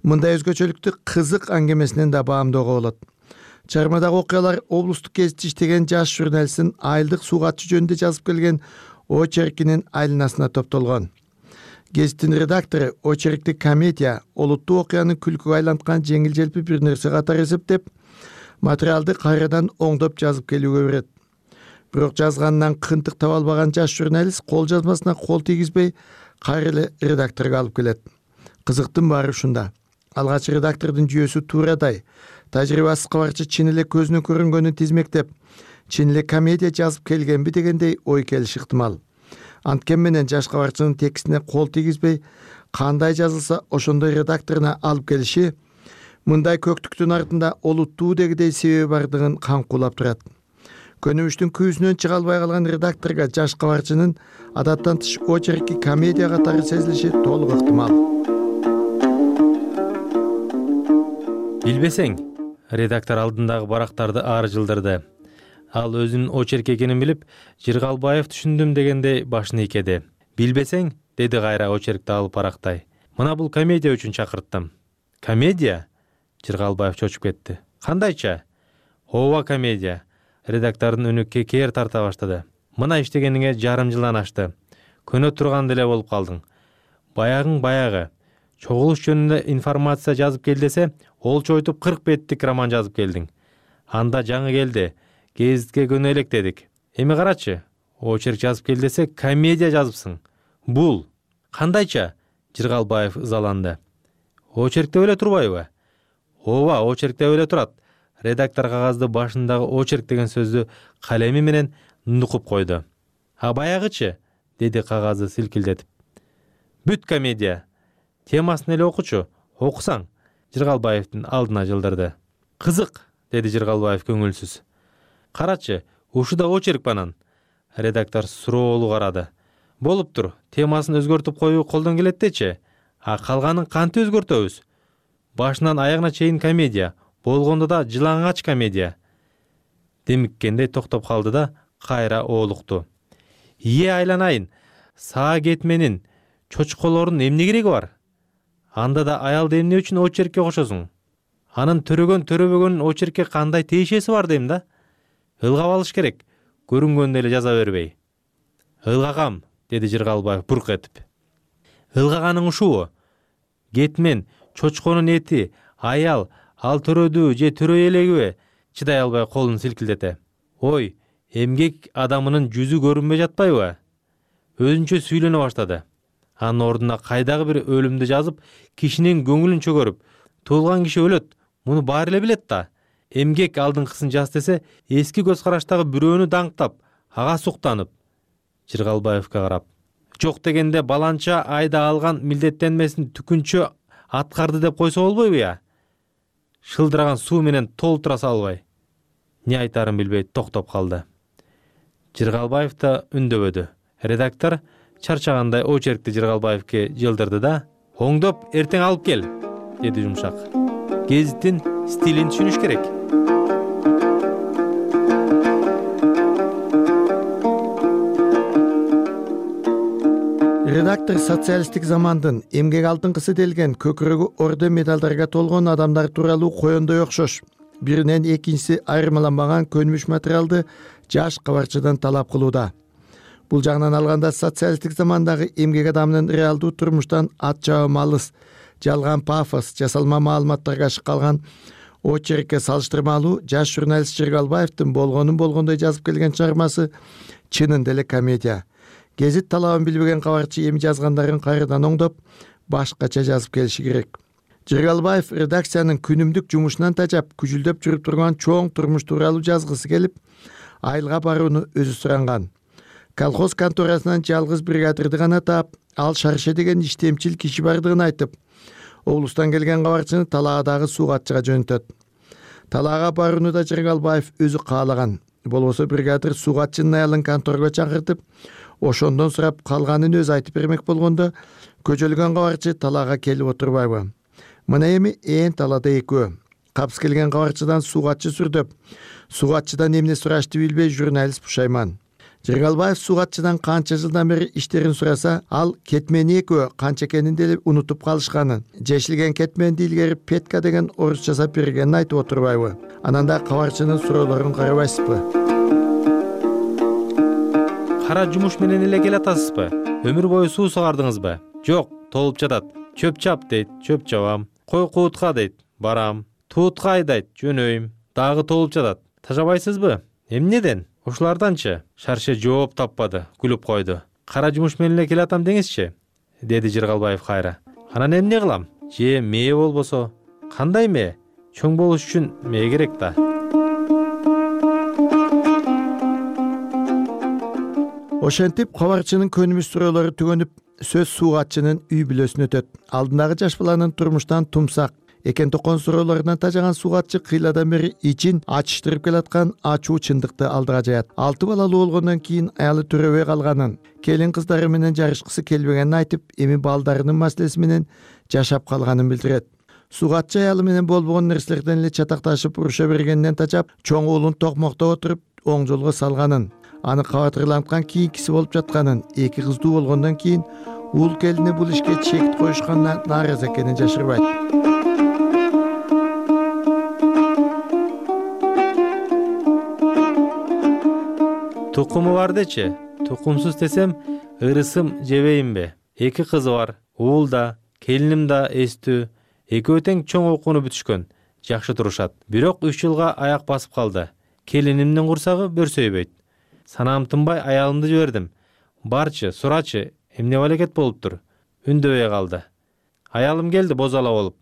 Мындай өзгөчөлүктү кызык аңгемесинен да баамдоого болот. Чыгармадагы окуялар облустук гезитте иштеген жаш журналисттин айылдык суугатчы жөнүндө жазып келген очеркинин айланасына топтолгон. Гезиттин редактору очеркти комедия, олуттуу окуяны күлкүгө айланткан жеңил желпи бир нерсе катары эсептеп, материалды кайрадан оңдоп жазып келүүгө берет. Бирок жазганынан кынтык таба албаган жаш журналист кол жазмасына кол тийгизбей, кайра эле редакторго алып келет. Кызыктын баары ушунда. Алгач редактордун жүйөсү туурадай, тажрыйбасыз кабарчы чын эле көзүнө көрүнгөнүн тизмектеп, чын эле комедия жазып келгенби дегендей ой келиши ыктымал. Анткени менен жаш кабарчынын текстине кол тийгизбей, кандай жазылса ошондой редакторуна алып келиши мындай көктүктүн артында олуттуу дегидей себеби бардыгын камкуулап турат. Көнүмүштүн күүсүнөн чыга албай калган редакторго жаш кабарчынын адаттан тыш очерки комедия катары сезилиши толук ыктымал.
Билбесең, редактор алдындагы барактарды ары жылдырды. Ал өзүнүн очерк экенин билип, Жыргалбаев түшүндүм дегендей башын ийкеди. Билбесең, деди кайра очеркти алып барактай. Мына бул комедия үчүн чакырттым. Комедия? Жыргалбаев чочуп кетти. Кандайча? Ооба, комедия. Редактордун үнү кекер тарта баштады. Мына иштегениңе жарым жылдан ашты. Көнө турган деле болуп калдың. Баягың баягы. Чогулуш жөнүндө информация жазып кел десе, олчойтуп 40 беттик роман жазып келдиң. Анда жаңы келди. Гезитке көнө элек дедик. Эми карачы, очерк жазып кел десе, комедия жазыпсың. Бул кандайча? Жыргалбаев ызаланды. Очеркте эле турбайбы? Ооба, очеркте эле турат. Редактор кагазды башындагы очерк деген сөздү калеми менен нукуп койду. А баягычы? Деди кагазды силкилдетип. Бүт комедия. Темасын эле окучу. Окусаң. Жыргалбаевдин алдына жылдырды. Кызык, деди Жыргалбаев көңүлсүз. Карачы, ушуда очерк банан. Редактор суроолуу карады. Болуптур, темасын өзгөртүп коюу колдон келет дечи. А калганын кантип өзгөртөбүз? Башынан аягына чейин комедия, болгондо да жылаңач комедия. Демиккендей токтоп калды да кайра оолукту. Айланайын, саа кетменин, чочколордун эмне кереги бар? Анда да аялды эмне үчүн очеркке кошосуң? Анын төрөбөгөнүн очеркке кандай тиешеси бар дейм да? Ылгап алыш керек, көрүнгөндө эле жаза бербей. Ылгагам, деди Жыргалбаев бурк этип. Ылгаганың ушубу? Кетмен, чочконун эти, аял, ал төрөдүү же төрөй элегиби? Чыдай албай колун силкилдете. Ой, эмгек адамынын жүзү көрүнбөй жатпайбы? Өзүнчө сүйлөнө баштады. Анын ордуна кайдагы бир өлүмдү жазып, кишинин көңүлүн чөгөрүп, туулган киши өлөт, муну баары эле билет да. Эмгек алдыңкысын жаз десе, эски көз караштагы бирөөнү даңктап, ага суктанып. Жыргалбаевка карап. Жок дегенде баланча айда алган милдеттенмесин түкүнчө аткарды деп койсо болбойбу я? Шылдыраган суу менен толтура салбай. Не айтарын билбей токтоп калды. Жыргалбаев да үндөбөдү. Редактор чарчагандай очеркти Жыргалбаевке жылдырды да, оңдоп эртең алып кел, деди жумшак. Гезиттин стилин түшүнүш керек.
Редактор социалисттик замандын эмгек алтынкысы делген көкүрөгү орден медалдарга толгон адамдар тууралуу коендой окшош. Биринен экинчиси айырмаланбаган көнүмүш материалды жаш кабарчыдан талап кылууда. Бул жагынан алганда социалисттик замандагы эмгек адамынын реалдуу турмуштан ат жабы алыс, жалган пафос, жасалма маалыматтарга калган очеркке салыштырмалуу жаш журналист Жыргалбаевдин болгондой жазып келген чыгармасы чынында эле комедия. Гезит талабын билбеген кабарчы эми жазгандарын кайрадан оңдоп, башкача жазып келиши керек. Жыргалбаев редакциянын күнүмдүк жумушунан тажап, күжүлдөп жүрүп турган чоң турмуш тууралуу жазгысы келип, айылга барууну өзү суранган. Колхоз конторасынан жалгыз бригадирди гана таап, ал Шарше деген иштемчил киши бардыгын айтып, облустан келген кабарчыны талаадагы суугатчыга жөнөтөт. Талаага барууну да Жыргалбаев өзү каалаган. Болбосо бригадир суугатчынын аялын конторго чакыртып, ошондон сурап калганын өзү айтып бермек болгондо, көжөлгөн кабарчы талаага келип отурбайбы. Мына эми талаада экөө. Капс келген кабарчыдан суугатчы сүрдөп, суугатчыдан эмне сурашты билбей журналист пушайман. Жыргалбаев суугатчыдан канча жылдан бери иштерин сураса, ал кетмени экөө канча экенин деле унутуп калышканын, жешилген кетменди илгери Петка деген орус жасап бергенин айтып отурбайбы. Анан да кабарчынын суроолорун карабайсызбы?
Кара жумуш менен эле келатасызбы? Өмүр бою суу согардыңызбы? Жок, толуп жатат. Чөп чап дейт, чөп чабам. Кой куутка дейт, барам. Туутка айдайт, жөнөйм. Дагы толуп жатат. Тажабайсызбы? Эмнеден? Ушуларданчы? Шарше жооп таппады, күлүп койду. Кара жумуш менен эле келатам деңизчи, деди Жыргалбаев кайра. Анан эмне кылам? Же мээ болбосо? Кандай мээ? Чоң болуш үчүн мээ керек да.
Ошентип кабарчынын көнүмүш суроолору түгөнүп, сөз суугатчынын үй бүлөсүнө өтөт. Алдындагы жаш баланын турмуштан тумсак экен токон суроолорунан тажаган суугатчы кыйладан бери ичин ачыштырып келаткан ачуу чындыкты алдыга жаят. 6 балалуу болгондон кийин аялы төрөбөй калганын, келин кыздары менен жарышкысы келбегенин айтып, эми балдарынын маселеси менен жашап калганын билдирет. Суугатчы аялы менен болбогон нерселерден эле чатакташып уруша бергенинен тажап, чоң уулун токмоктоп отуруп оң жолго салганын, аны кабатырланткан кийинкиси болуп жатканын, 2 кыздуу болгондон кийин уул келине бул ишке чек коюшканына нааразы экенин жашырбайт.
Тукуму бар дечи, тукумсуз десем, ырысым жебейинби? 2 кызы бар, уул да, келиним да эстүү, экөө тең чоң окууну бүтүшкөн, жакшы турушат. Бирок 3 жылга аяк басып калды. Келинимдин курсагы бөрсөйбөйт. Санаам тынбай аялымды жибердим. Барчы, сурачы, эмне балекет болуптур? Үндөбөй калды. Аялым келди бозала болуп,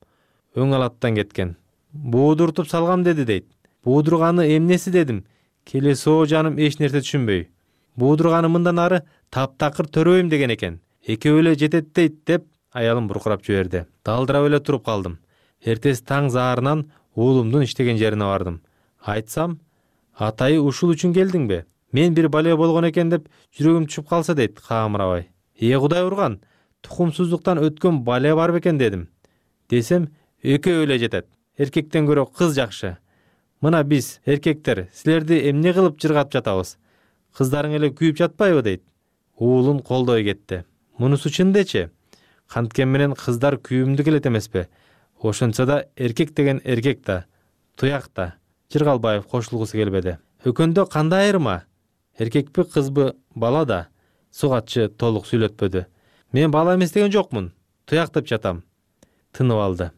өң алаттан кеткен. Буудуртуп салгам деди дейт. Буудурганы эмнеси дедим. Келесоо жаным эч нерсе түшүнбөй. Буудурганы мындан ары таптакыр төрөйм деген экен. Экөө эле жетет дейт деп аялым буркурап жиберди. Далдырап эле туруп калдым. Эртеси таң заарынан уулумдун иштеген жерине бардым. Айтсам, атайы ушул үчүн келдиңби? Мен бир бале болгон экен деп жүрөгүм түшүп калса дейт каамырабай. Кудай урган, тукумсуздуктан өткөн бале бар бекен дедим. Десем, экөө эле жетет. Эркектен көрө кыз жакшы. Мына биз, эркектер, силерди эмне кылып жыргап жатабыз? Кыздарың эле күйүп жатпайбы дейт. Уулун колдой кетти. Мунусу чын дечи. Канткен менен кыздар күйүмдүү келет эмеспи? Ошончо да эркек деген эркек да, туяк да. Жыргалбаев кошулгусу келбеди. Өкөндө кандай айырма? Эркекпи, кызбы, бала да? Суугатчы толук сүйлөтпөдү. Мен бала эмес деген жокмун. Туяк деп жатам. Тынып алды.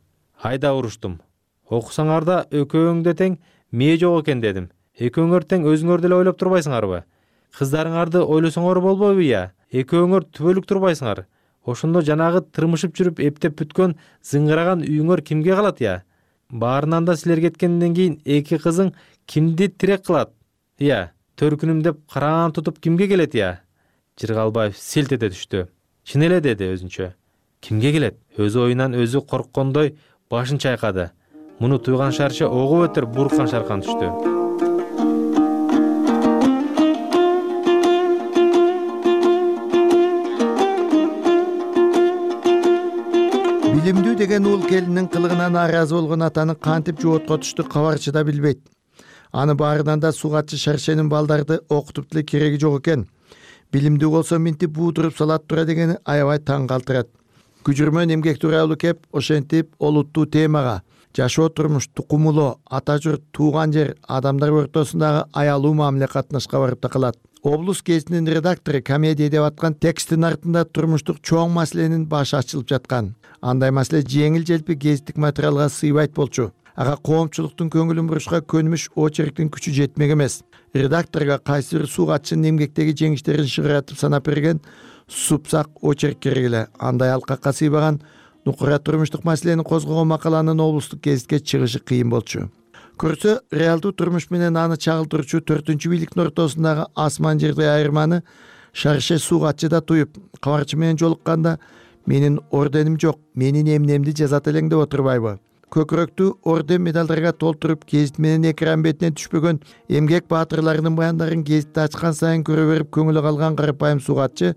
Айда уруштум. Окусаңар да экөөңдө тең мээ жок экен дедим. Экөөңөр тең өзүңөр деле ойлоп турбайсыңарбы? Кыздарыңарды ойлосоңор болбойбу я? Экөөңөр түбөлүк турбайсыңар. Ошондо жанагы тырмышып жүрүп эптеп бүткөн зыңгыраган үйүңөр кимге калат я? Баарынан да силер кеткенден кийин 2 кызың кимди тирек кылат? Я, төркүнүм деп караан тутуп кимге келет я? Жыргалбаев селт эте түштү. Чын эле деди өзүнчө. Кимге келет? Өз оюнан өзү корккондой башын чайкады. Муну туйган шарчы огуп өтөр буркан шаркан түштү.
Билимдүү деген уул келинин кылыгына нааразы болгон атаны кантип жоотко түштү кабарчы да билбейт. Аны баарынан да суугатчы Шаршенин балдарды окутуп деле кереги жок экен. Билимдүү болсо минтип буудуруп салат тура дегени аябай таң калтырат. Күжүрмөн эмгек тууралуу кеп, ошентип олуттуу темага жашоо турмуш, тукумулоо, ата журт, тууган жер, адамдар ортосундагы аялуу мамиле катнашка барып такалат. Облус гезитинин редактору комедия деп аткан текстин артында турмуштук чоң маселенин башы ачылып жаткан. Андай маселе жеңил желпи гезиттик материалга сыйбайт болчу. Ага коомчулуктун көңүлүн бурушка көнүмүш очерктин күчү жетмек эмес. Редакторго кайсы бир суугатчынын эмгектеги жеңиштерин шыгыратып санап берген супсак очерк керек эле. Андай алкакка сыйбаган нукура турмуштук маселени козгогон макаланын облустук гезитке чыгышы кыйын болчу. Көрсө, реалдуу турмуш менен аны чагылтырчу 4-чү бийликтин ортосундагы асман жердей айырманы Шарше суугатчы да туюп, кабарчы менен жолукканда менин орденим жок, менин эмнемди жазат элең деп отурбайбы? Көкүрөктү орден медалдарга толтуруп, гезит менен экран бетине түшпөгөн эмгек баатырларынын баяндарын гезитти ачкан сайын көрө берип көңүлү калган карапайым суугатчы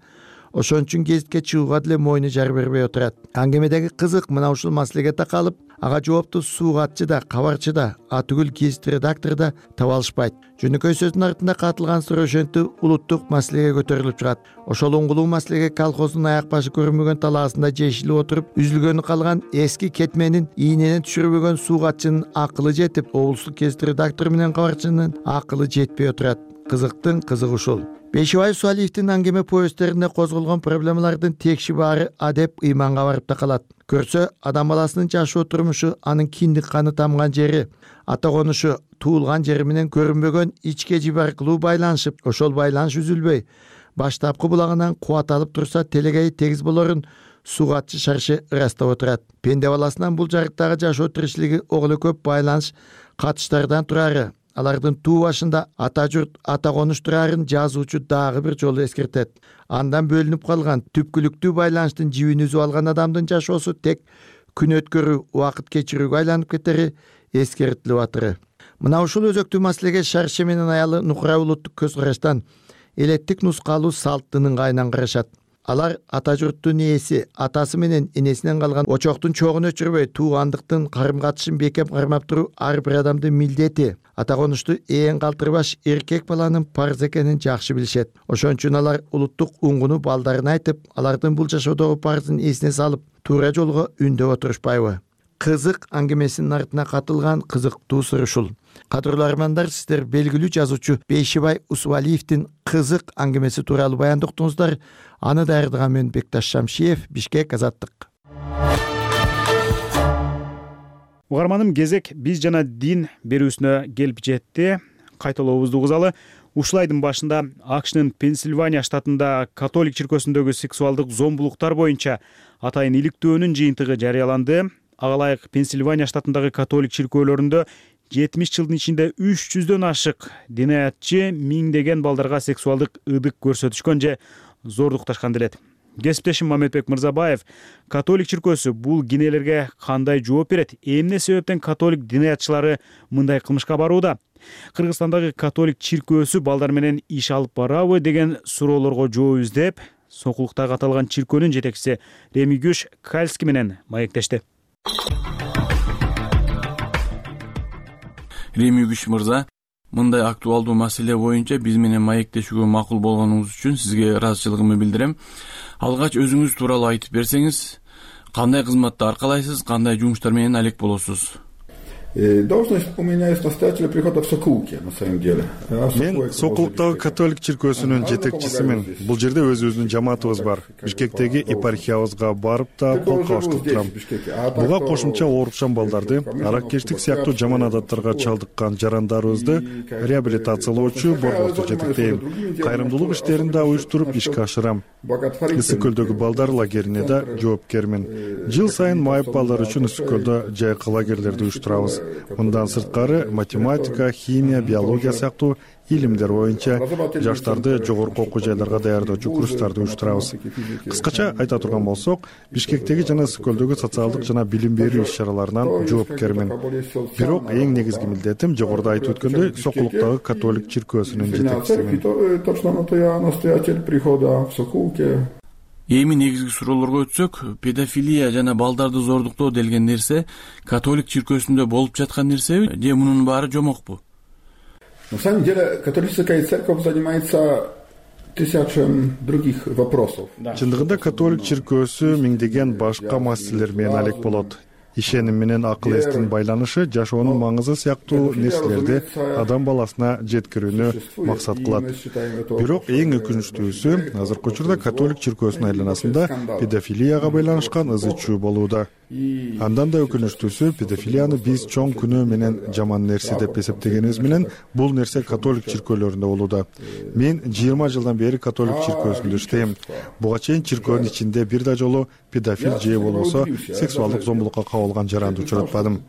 ошон үчүн гезитке чыгууга деле мойну жар бербей отурат. Аңгемедеги кызык мына ушул маселеге такалып, ага жоопту суугатчы да, кабарчы да, атүгүл гезит редактору да таба алышпайт. Жөнөкөй сөздүн артында катылган сыр ошентип улуттук маселеге көтөрүлүп чыгат. Ошол уңгулуу маселеге колхоздун аяк башы көрүнбөгөн талаасында жешилип отуруп, үзүлгөнү калган эски кетменин ийненен түшүрбөгөн суугатчынын акылы жетип, облустук гезит редактору менен кабарчынын акылы жетпей отурат. Кызыктын кызыгы ушул. Бешибаев Суалиевдин аңгеме повесттеринде козголгон проблемалардын текши баары адеп ыйманга барып такалат. Көрсө, адам баласынын жашоо турмушу, анын киндик каны тамган жери, ата конушу, туулган жери менен көрүнбөгөн ичке жиби аркылуу байланышып, ошол байланыш үзүлбөй, баштапкы булагынан кубат алып турса телегей тегиз болорун суугатчы Шарше ырастап отурат. Пенде баласынан бул жарыктагы жашоо тиричилиги ого эле көп байланыш катыштардан турары, алардын туу башында ата журт, ата конуш турарын жазуучу дагы бир жолу эскертет. Андан бөлүнүп калган түпкүлүктүү байланыштын жибин үзүп алган адамдын жашоосу тек күн өткөрүү, убакыт кечирүүгө айланып кетери эскертилип атыры. Мына ушул өзөктүү маселеге Шарше менен аялы Нукура улуттук көз караштан элеттик нускалуу салт дынынга айнан карашат. Алар ата журттун ээси, атасы менен энесинен калган очоктун чогун өчүрбөй, туугандыктын карым-катышын бекем кармап туруу ар бир адамдын милдети. Ата конушту ээн калтырбаш эркек баланын парыз экенин жакшы билишет. Ошон үчүн алар улуттук уңгуну балдарына айтып, алардын бул жашоодогу парызын эсине салып, туура жолго үндөп отурушпайбы? Кызык аңгемесинин артына катылган кызыктуу сыр ушул. Кадырлуу армандар, сиздер белгилүү жазуучу Бейшибай Усубалиевдин кызык аңгемеси тууралуу баяндоо уктуңуздар. Аны даярдаган мен Бекташ Шамшиев, Бишкек, Азаттык.
Угарманым, кезек биз жана дин берүүсүнө келип жетти. Кайталообузду угузалы. Ушул айдын башында АКШнын Пенсильвания штатында католик чиркөөсүндөгү сексуалдык зомбулуктар боюнча атайын иликтөөнүн жыйынтыгы жарыяланды. Ага ылайык Пенсильвания штатындагы католик чиркөөлөрүндө 70 жылдын ичинде 300дөн ашык динаятчы миңдеген балдарга сексуалдык ыдык көрсөтүшкөн же зордукташкан делет. Кесиптешим Мамедбек Мырзабаев католик чиркөөсү бул кинелерге кандай жооп берет? Эмне себептен католик динаятчылары мындай кылмышка барууда? Кыргызстандагы католик чиркөөсү балдар менен иш алып барабы деген суроолорго жооп издеп, Сокулуктагы аталган чиркөөнүн жетекчиси Ремигюш Кальский менен маектешти.
Ремигюш мырза, мындай актуалдуу маселе боюнча биз менен маектешүүгө макул болгонуңуз үчүн сизге ыраазычылыгымды билдирем. Алгач өзүңүз тууралуу айтып берсеңиз, кандай кызматты аркалайсыз, кандай жумуштар менен алек болосуз?
Должность у меня есть настоятеля прихода в Сокулуке, на самом деле.
Мен Сокулуктагы католик чиркөөсүнүн жетекчисимин. Бул жерде өзүбүздүн жамаатыбыз бар. Бишкектеги епархиябызга барып да кол кабыштырып турам. Буга кошумча оорукшан балдарды, араккечтик сыяктуу жаман адаттарга чалдыккан жарандарыбызды реабилитациялоочу борборду жетектейм. Кайрымдуулук иштерин да уюштуруп ишке ашырам. Ысык көлдөгү балдар лагерине да жоопкермин. Жыл сайын майып балдар үчүн ысык көлдө жайкы лагерлерди уюштурабыз. Мындан сырткары математика, химия, биология сыяктуу илимдер боюнча жаштарды жогорку окуу жайларга даярдоочу курстарды уюштурабыз. Кыскача айта турган болсок, Бишкектеги жана Ысык көлдөгү социалдык жана билим берүү иш-чараларынан жоопкермин. Бирок эң негизги милдетим жогоруда айтып өткөндөй Сокулуктагы католик чиркөөсүнүн жетекчисимин.
Эми негизги суроолорго өтсөк, педофилия жана балдарды зордуктоо делген нерсе католик чиркөөсүндө болуп жаткан нерсеби же мунун баары жомокпу?
На самом деле католическая церковь занимается тысячами других вопросов.
Чындыгында католик чиркөөсү миңдеген башка маселелер менен алек болот. Ишеним менен акыл эстин байланышы жашоонун маңызы сыяктуу нерселерди адам баласына жеткирүүнү максат кылат. Бирок эң өкүнүчтүүсү азыркы учурда католик чиркөөсүнүн айланасында педофилияга байланышкан ызы чуу болууда. Андан да өкүнүчтүүсү педофилияны биз чоң күнөө менен жаман нерсе деп эсептегенибиз менен бул нерсе католик чиркөөлөрүндө болууда. Мен 20 жылдан бери католик чиркөөсүндө иштейм. Буга чейин чиркөөнүн ичинде бир да жолу педофил же болбосо сексуалдык зомбулукка кабылган жаранды учуратпадым.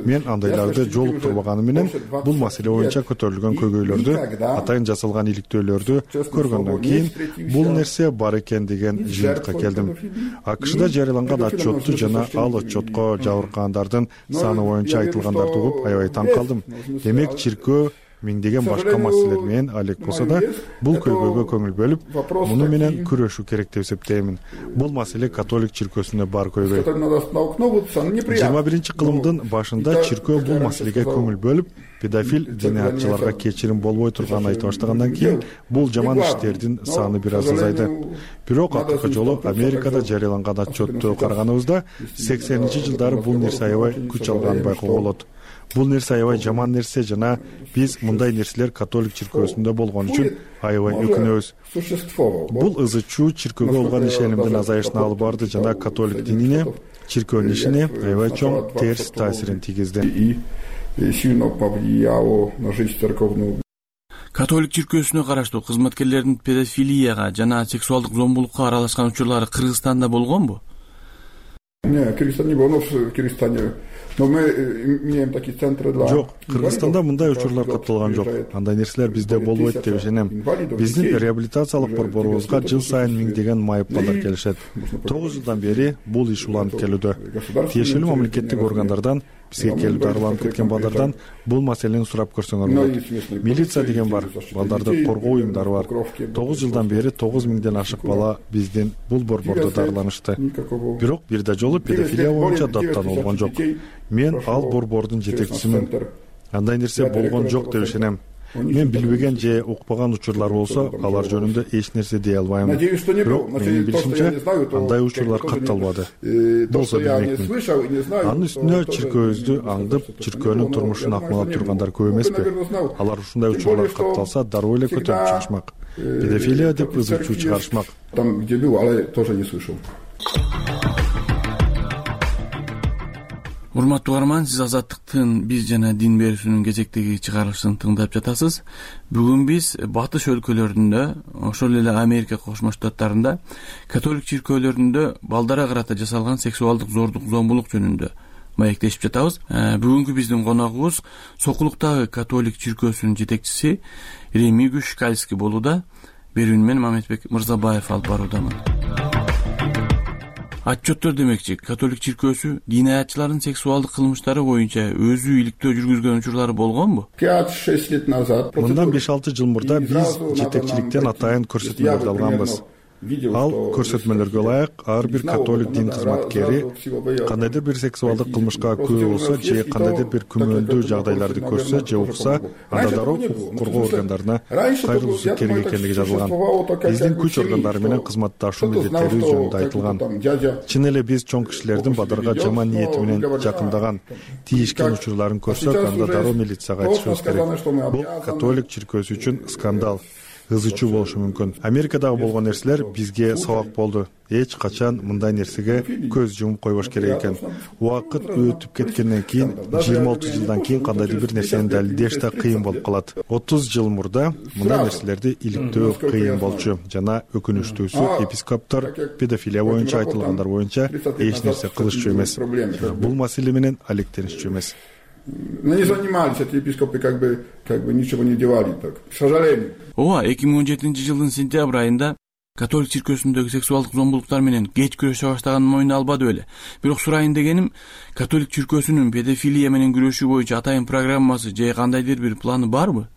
Мен андайларды жолуктурбаганым менен бул маселе боюнча көтөрүлгөн көйгөйлөрдү, атайын жасалган иликтөөлөрдү көргөндөн кийин бул нерсе бар экен деген жыйынтыкка келдим. АКШда жарыяланган отчетту жана ал отчетко жабыркагандардын саны боюнча айтылгандарды угуп аябай таң калдым. Демек чиркөө миңдеген башка маселелер менен алек болсо да бул көйгөйгө көңүл бөлүп, муну менен күрөшүү керек деп эсептеймин. Бул маселе католик чиркөөсүндө бар көйгөй. 21 кылымдын башында чиркөө бул маселеге көңүл бөлүп, педофил динаятчыларга кечирим болбой турганын айта баштагандан кийин бул жаман иштердин саны бир аз азайды. Бирок акыркы жолу Америкада жарыяланган отчетту караганыбызда 80-жылдары бул нерсе аябай күч алганын байкоого болот. Бул нерсе аябай жаман нерсе жана биз мындай нерселер католик чиркөөсүндө болгон үчүн аябай өкүнөбүз. Бул ызы чуу чиркөөгө болгон ишенимдин азайышына алып барды жана католик динине, чиркөөнүн ишине аябай чоң терс таасирин тийгизди.
Католик чиркөөсүнө караштуу кызматкерлердин педофилияга жана сексуалдык зомбулукка аралашкан учурлары Кыргызстанда болгонбу?
Кыргызстанда не было, в Кыргызстане
Жок, Кыргызстанда мындай учурлар катталган жок. Андай нерселер бизде болбойт деп ишенем. Биздин реабилитациялык борборубузга жыл сайын миңдеген майып балдар келишет. 9 жылдан бери бул иш уланып келүүдө. Тиешелүү мамлекеттик органдардан бизге келип дарыланып кеткен балдардан бул маселени сурап көрсөңөр болот. Милиция деген бар, балдарды коргоо уюмдары бар. 9 жылдан бери 9 миңден ашык бала биздин бул борбордо дарыланышты. Бирок бир да жолу педофилия боюнча даттанылган жок. Мен ал борбордун жетекчисимин. Андай нерсе болгон жок деп ишенем. Мен билбеген же укпаган учурлар болсо, алар жөнүндө эч нерсе дей албайм. Бирок менин билишимче, андай учурлар катталбады. Болсо билмекмин. Анын үстүнө чиркөөбүздү аңдып, чиркөөнүн турмушун акмалап тургандар көп эмеспи? Алар ушундай учурлар катталса, дароо эле көтөрүп чыгышмак. Педофилия деп ызы чуу чыгарышмак.
Там, где был, а я тоже не слышал.
Урматтуу угарман, сиз Азаттыктын биз жана дин берүүсүнүн кезектеги чыгарылышын тыңдап жатасыз. Бүгүн биз батыш өлкөлөрүндө, ошол эле Америка Кошмо Штаттарында католик чиркөөлөрүндө балдарга карата жасалган сексуалдык зордук, зомбулук жөнүндө маектешип жатабыз. Бүгүнкү биздин коногубуз Сокулуктагы католик чиркөөсүнүн жетекчиси Ремигуш Шкальский болууда. Берүүнү мен Мамедбек Мырзабаев алып баруудамын. Отчеттор демекчи, католик чиркөөсү дин аятчылардын сексуалдык кылмыштары боюнча өзү иликтөө жүргүзгөн учурлары болгонбу?
5-6 лет назад.
Мындан 5-6 жыл мурда биз жетекчиликтен атайын көрсөтмөлөрдү алганбыз. Ал көрсөтмөлөргө ылайык ар бир католик дин кызматкери кандайдыр бир сексуалдык кылмышка күбө болсо же кандайдыр бир күмөндүү жагдайларды көрсө же укса, анда дароо укук коргоо органдарына кайрылуусу керек экендиги жазылган. Биздин күч органдары менен кызматташуу милдеттери жөнүндө айтылган. Чын эле биз чоң кишилердин бадарга жаман ниети менен жакындаган, тийишкен учурларын көрсөк, анда дароо милицияга айтышыбыз керек. Бул католик чиркөөсү үчүн скандал. Ызы чуу болушу мүмкүн. Америкадагы болгон нерселер бизге сабак болду. Эч качан мындай нерсеге көз жумуп койбош керек экен. Убакыт өтүп кеткенден кийин, 20-30 жылдан кийин кандайдыр бир нерсени далилдеш да кыйын болуп калат. 30 жыл мурда мындай нерселерди иликтөө кыйын болчу. Жана өкүнүчтүүсү, епископтор педофилия боюнча айтылгандар боюнча эч нерсе кылышчу эмес. Бул маселе менен алектенишчү эмес.
Не занимались эти епископы, как бы ничего не делали, так, к сожалению.
Ооба, 2017-жылдын сентябрь айында католик чиркөөсүндөгү сексуалдык зомбулуктар менен кеч күрөшө баштаганын мойнуна албады беле. Бирок сурайын дегеним, католик чиркөөсүнүн педофилия менен күрөшүү боюнча атайын программасы же кандайдыр бир планы барбы?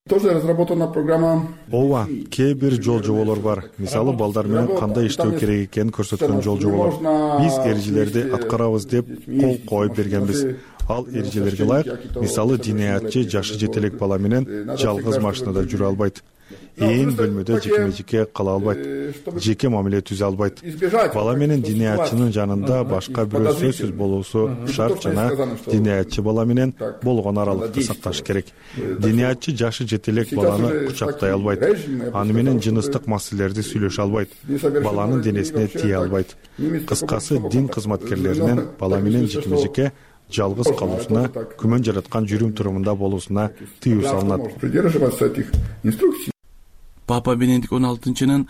Тоже разработана программа.
Ооба, кээ бир жол жоболор бар. Мисалы, балдар менен кандай иштөө керек экенин көрсөткөн жол жоболор. Биз эрежелерди аткарабыз деп кол коюп бергенбиз. Ал эрежелерге ылайык, мисалы, диниятчы жашы жете элек бала менен жалгыз машинада жүрө албайт. Ээн бөлмөдө жеке-жеке кала албайт. Жеке мамиле түзө албайт. Бала менен диниятчынын жанында башка бирөө сөзсүз болуусу шарт жана диниятчы бала менен болгон аралыкты сакташ керек. Диниятчы жашы жете элек баланы кучактай албайт. Аны менен жыныстык маселелерди сүйлөшө албайт. Баланын денесине тие албайт. Кыскасы, дин кызматкерлеринин бала менен жеке-жеке жалгыз калуусуна, күмөн жараткан жүрүм турумунда болуусуна тыюу салынат.
Папа Бенедикт 16-нын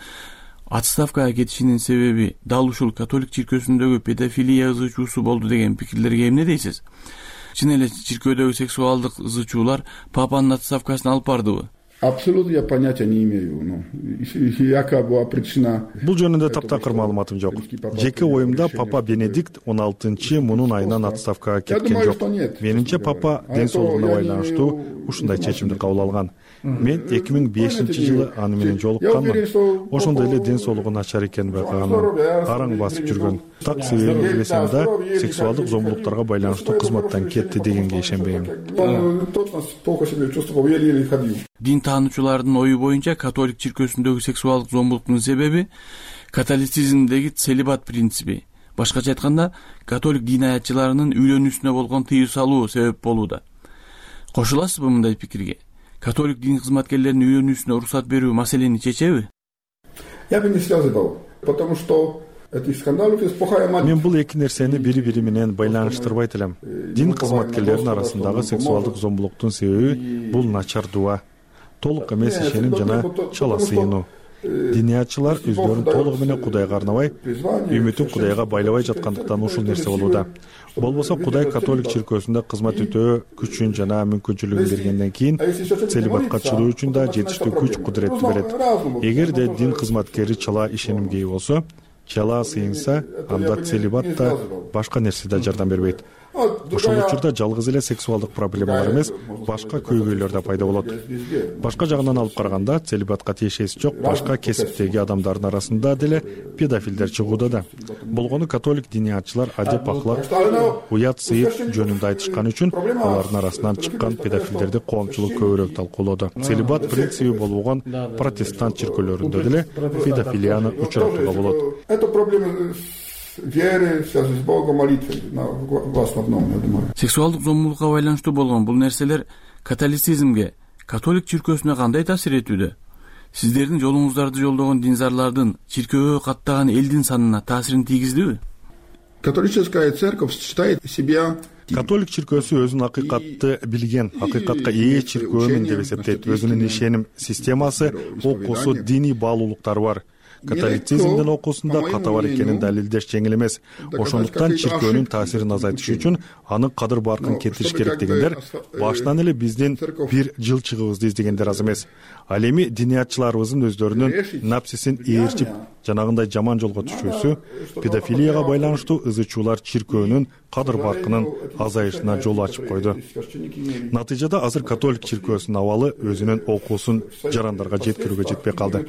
отставкага кетишинин себеби дал ушул католик чиркөөсүндөгү педофилия ызы чуусу болду деген пикирлерге эмне дейсиз? Чын эле чиркөөдөгү сексуалдык ызы чуулар папанын отставкасына алып бардыбы?
Абсолютно я понятия не имею. Яка была причина.
Бул жөнүндө таптакыр маалыматым жок. Жеке оюмда папа Бенедикт 16 мунун айынан отставкага кеткен жок. Менимче папа ден соолугуна байланыштуу ушундай чечимди кабыл алган. Мен 2005-жылы аны менен жолукканмын. Ошондой эле ден соолугу начар экенин байкаганмын. Араң басып жүргөн. Так себебин билесем да, сексуалдык зомбулуктарга байланыштуу кызматтан кетти дегенге ишенбейм.
Дин таануучулардын ою боюнча католик чиркөөсүндөгү сексуалдык зомбулуктун себеби католицизмдеги целибат принципи. Башкача айтканда, католик дин аятчыларынын үйлөнүүсүнө болгон тыюу салуу себеп болууда. Кошуласызбы мындай пикирге? Католик дин кызматкерлеринин үйлөнүүсүнө уруксат берүү маселени чечеби?
Я бы не связывал, потому что мен
бул эки нерсени бири-бири менен байланыштырбайт элем. Дин кызматкерлеринин арасындагы сексуалдык зомбулуктун себеби бул начар дуа, толук эмес ишеним жана чала сыйынуу. Диниятчылар өздөрүн толугу менен Кудайга арнабай, үмүтүн Кудайга байлабай жаткандыктан ушул нерсе болууда. Болбосо Кудай католик чиркөөсүндө кызмат өтөө күчүн жана мүмкүнчүлүгүн бергенден кийин целибатка чыдоо үчүн да жетиштүү күч кудуретти берет. Эгерде дин кызматкери чала ишенимге ээ болсо, чала сыйынса, анда целибат да башка нерсе да жардам бербейт. Ошол учурда жалгыз эле сексуалдык проблемалар эмес, башка көйгөйлөр да пайда болот. Башка жагынан алып караганда, целибатка тиешеси жок башка кесиптеги адамдардын арасында деле педофилдер чыгууда да. Болгону католик диниятчылар адеп аклак, уят сыйыт жөнүндө айтышкан үчүн алардын арасынан чыккан педофилдерди коомчулук көбүрөөк талкуулоодо. Целибат принциби болбогон протестант чиркөөлөрүндө деле педофилияны учуратууга болот.
Веры, связи с Богом, молитвы, в основном, я думаю.
Сексуалдык зомбулукка байланыштуу болгон бул нерселер католицизмге, католик чиркөөсүнө кандай таасир этүүдө? Сиздердин жолуңуздарды жолдогон динзарлардын чиркөөгө каттаган элдин санына таасирин тийгиздиби?
Католическая церковь считает себя
Католик чиркөөсү өзүн акыйкатты билген, акыйкатка ээ чиркөөмүн деп эсептейт. Өзүнүн ишеним системасы, окуусу, диний баалуулуктары бар. Католицизмдин окуусунда ката бар экенин далилдеш жеңил эмес. Ошондуктан чиркөөнүн таасирин азайтыш үчүн анын кадыр баркын кетириш керек дегендер башынан эле биздин бир жылчыгыбызды издегендер аз эмес. Ал эми диниятчыларыбыздын өздөрүнүн напсисин ээрчип, жанагындай жаман жолго түшүүсү педофилияга байланыштуу ызычуулар чиркөөнүн кадыр баркынын азайышына жол ачып койду. Натыйжада азыр католик чиркөөсүнүн абалы өзүнүн окуусун жарандарга жеткирүүгө жетпей калды.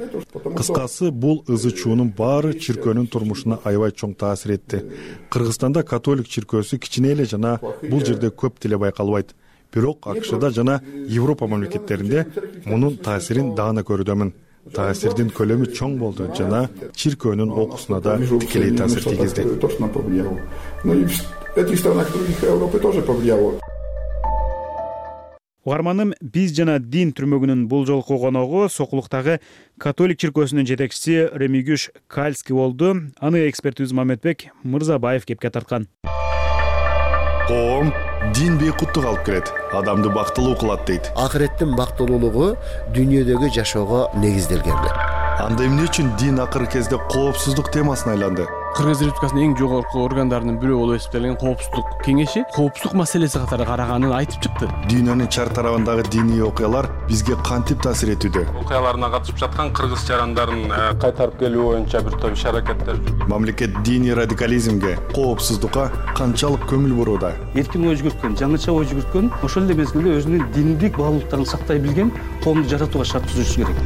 Кыскасы, бул ызычуунун баары чиркөөнүн турмушуна аябай чоң таасир этти. Кыргызстанда католик чиркөөсү кичине эле жана бул жерде көп деле байкалбайт. Бирок АКШда жана Европа мамлекеттеринде мунун таасирин даана көрүүдөмүн. Таасирдин көлөмү чоң болду жана чиркөөнүн окуусуна да тикелей таасир тийгизди.
Угарманым, биз жана дин түрмөгүнүн бул жолку коногу Сокулуктагы католик чиркөөсүнүн жетекчиси Ремигюш Кальский болду. Аны экспертибиз Мамедбек Мырзабаев кепке тарткан.
Коом дин бейкуттук алып келет, адамды бактылуу кылат дейт.
Акыреттин бактылуулугу дүйнөдөгү жашоого негизделген.
Анда эмне үчүн дин акыркы кезде коопсуздук темасына айланды?
Кыргыз Республикасынын эң жогорку органдарынын бирөө болуп эсептелген коопсуздук кеңеши коопсуздук маселеси катары караганын айтып чыкты.
Дүйнөнүн чар тарабындагы диний окуялар бизге кантип таасир этүүдө?
Окуяларына катышып жаткан кыргыз жарандарын кайтарып келүү боюнча бир топ иш-аракеттер.
Мамлекет диний радикализмге, коопсуздукка канчалык көңүл бурууда?
Эркин ой жүгүрткөн, жаңыча ой жүгүрткөн, ошол эле мезгилде өзүнүн диндик баалуулуктарын сактай билген коомду жаратууга шарт түзүшү керек.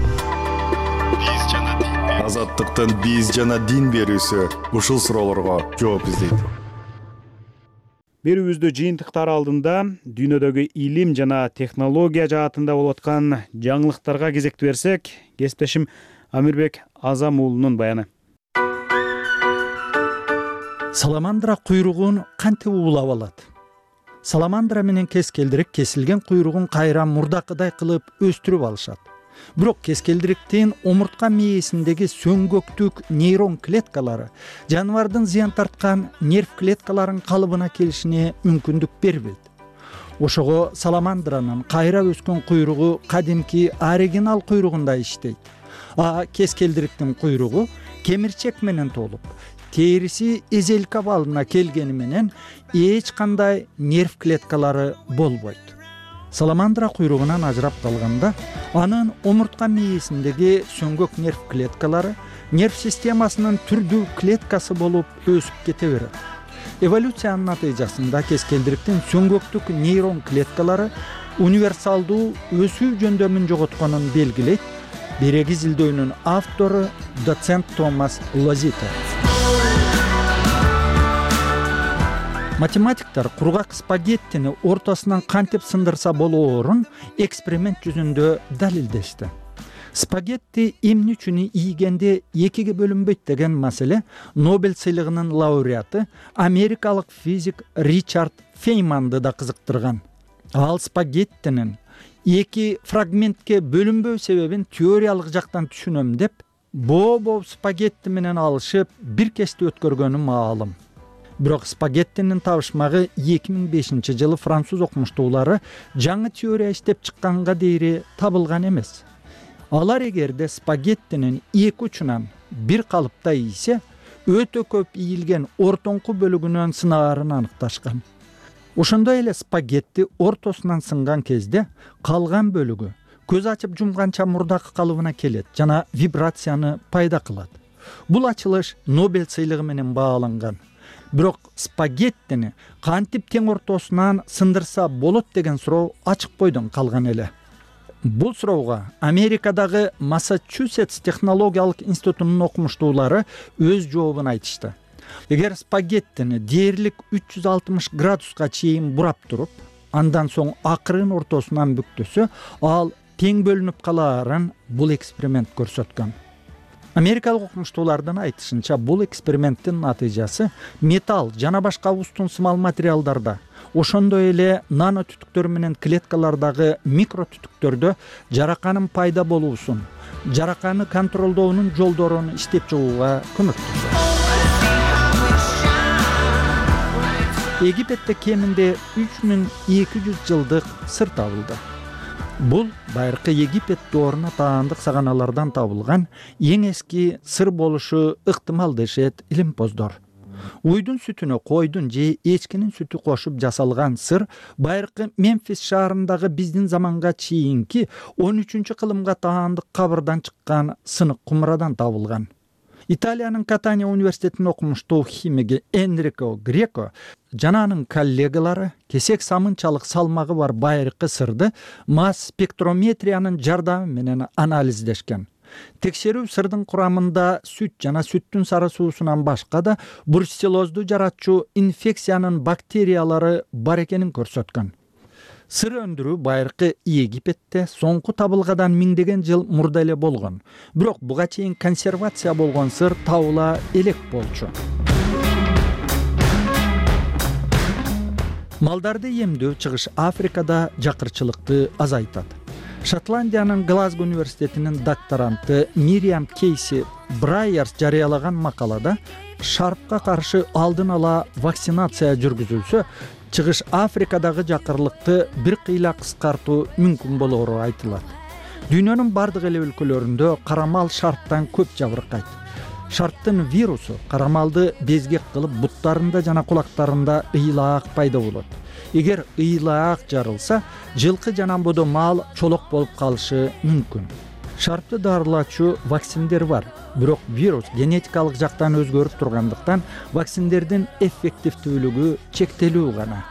Азаттыктын биз жана дин берүүсү ушул суроолорго жооп издейт.
Берүүбүздү жыйынтыктар алдында дүйнөдөгү илим жана технология жаатында болуп аткан жаңылыктарга кезекти берсек, кесиптешим Амирбек Азам уулунун баяны.
Саламандра куйругун кантип уулап алат? Саламандра менен кескелдирик кесилген куйругун кайра мурдакыдай кылып өстүрүп алышат. Бирок кескелдириктин омуртка мээсиндеги сөңгөктүк нейрон клеткалары жаныбардын зыян тарткан нерв клеткаларынын калыбына келишине мүмкүндүк бербейт. Ошого саламандранын кайра өскөн куйругу кадимки оригинал куйругундай иштейт. Кескелдириктин куйругу кемирчек менен толуп, териси эзелка балына келгени менен эч кандай нерв клеткалары болбойт. Саламандра куйругунан ажырап калганда, анын омуртка мээсиндеги сөңгөк нерв клеткалары нерв системасынын түрдүү клеткасы болуп өсүп кете берет. Эволюциянын натыйжасында кескелдириктин сөңгөктүк нейрон клеткалары универсалдуу өсүү жөндөмүн жоготконун белгилейт. Береги изилдөөнүн автору доцент Томас Лозито. Математиктер кургак спагеттини ортосунан кантип сындырса болоорун эксперимент жүзүндө далилдешти. Спагетти эмне үчүн ийгенде экиге бөлүнбөйт деген маселе Нобель сыйлыгынын лауреаты америкалык физик Ричард Фейманды да кызыктырган. Ал спагеттинин эки фрагментке бөлүнбөө себебин теориялык жактан түшүнөм деп, боо спагетти менен алышып бир кечти өткөргөнү маалым. Бирок спагеттинин табышмагы 2005-жылы француз окумуштуулары жаңы теория иштеп чыкканга дейри табылган эмес. Алар эгерде спагеттинин эки учунан бир калыпта ийсе, өтө көп ийилген ортоңку бөлүгүнөн сынаарын аныкташкан. Ошондой эле спагетти ортосунан сынган кезде калган бөлүгү көз ачып жумганча мурдакы калыбына келет жана вибрацияны пайда кылат. Бул ачылыш Нобель сыйлыгы менен бааланган. Бирок спагеттини кантип тең ортосунан сындырса болот деген суроо ачык бойдон калган эле. Бул суроого Америкадагы Массачусетс технологиялык институтунун окумуштуулары өз жообун айтышты. Эгер спагеттини дээрлик 360 градуска чейин бурап туруп, андан соң акырын ортосунан бүктөсө, ал тең бөлүнүп калаарын бул эксперимент көрсөткөн. Америкалык окумуштуулардын айтышынча, бул эксперименттин натыйжасы металл жана башка устун-сымал материалдарда, ошондой эле нано түтүктөр менен клеткалардагы микро түтүктөрдө жараканын пайда болуусун, жараканы контролдоонун жолдорун иштеп чыгууга көмөктөшөт. Египетте кеминде 3200 жылдык сыр табылды. Бул байыркы Египет дооруна таандык саганалардан табылган эң эски сыр болушу ыктымал дешет илимпоздор. Уйдун сүтүнө койдун же эчкинин сүтү кошуп жасалган сыр байыркы Мемфис шаарындагы биздин заманга чейинки 13-кылымга таандык кабырдан чыккан сынык кумрадан табылган. Италиянын Катания университетинин окумуштуу химиги Энрико Греко жана анын коллегалары кесек самынчалык салмагы бар байыркы сырды масс спектрометриянын жардамы менен анализдешкен. Текшерүү сырдын курамында сүт жана сүттүн сары суусунан башка да бруцеллозду жаратчу инфекциянын бактериялары бар экенин көрсөткөн. Сыр өндүрүү байыркы Египетте соңку табылгадан миңдеген жыл мурда эле болгон. Бирок буга чейин консервация болгон сыр табыла элек болчу. Малдарды эмдөө чыгыш Африкада жакырчылыкты азайтат. Шотландиянын Глазго университетинин докторанты Мириам Кейси Брайерс жарыялаган макалада шарпка каршы алдын ала вакцинация жүргүзүлсө, чыгыш Африкадагы жакырлыкты бир кыйла кыскартуу мүмкүн болоору айтылат. Дүйнөнүн бардык эле өлкөлөрүндө карамал шарптан көп жабыркайт. Шарптын вирусу карамалды безгек кылып буттарында жана кулактарында ыйлаак пайда болот. Эгер ыйлаак жарылса, жылкы жана бодо мал чолок болуп калышы мүмкүн. Шарпты дарылачу вакциндер бар, бирок вирус генетикалык жактан өзгөрүп тургандыктан вакциндердин эффективдүүлүгү чектелүү гана.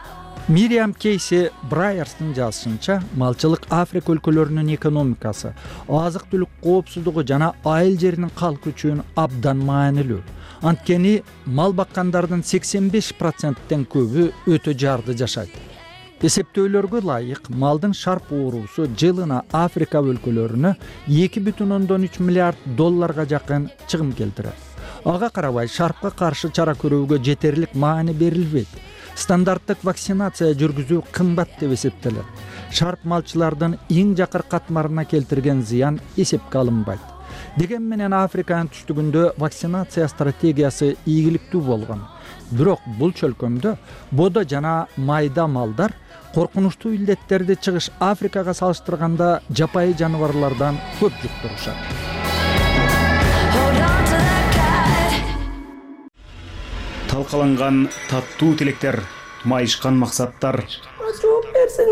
Мириам Кейси Брайерстын жазышынча, малчылык Африка өлкөлөрүнүн экономикасы, азык-түлүк коопсуздугу жана айыл жеринин калкы үчүн абдан маанилүү. Анткени мал баккандардын 85%тен көбү өтө жарды жашайт. Эсептөөлөргө ылайык, малдын шарп оорусу жылына Африка өлкөлөрүнө 2,3 миллиард долларга жакын чыгым келтирет. Ага карабай, шарпка каршы чара көрүүгө жетерлик маани берилбейт. Стандарттык вакцинация жүргүзүү кымбат деп эсептелет. Шарп малчылардын эң жакыр катмарына келтирген зыян эсепке алынбайт. Деген менен Африканын түштүгүндө вакцинация стратегиясы ийгиликтүү болгон. Бирок бул чөлкөмдө бодо жана майда малдар коркунучтуу илдеттерди чыгыш Африкага салыштырганда жапайы жаныбарлардан көп жуктурушат.
Талкаланган таттуу тилектер, майышкан максаттар.
Жооп берсең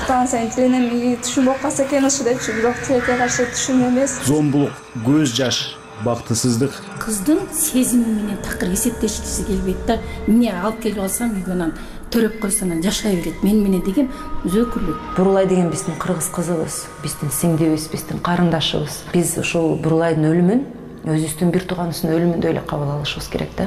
Станция тилинен түшүм болуп калса экен ушу депчи, бирок тилекке каршы түшүм эмес.
Зомбулук, көз жаш, бактысыздык.
Кыздын сезими менен такыр эсептешкиси келбейт да. Эмне алып келип алсам үйгө төрөп койсо анан жашай берет. Мен менен деген өзөкүлүк.
Бурулай деген биздин кыргыз кызыбыз, биздин сиңдибиз, биздин карындашыбыз. Биз ушул Бурулайдын өлүмүн өзүбүздүн бир тууганыбыздын өлүмүндөй эле кабыл алышыбыз керек да.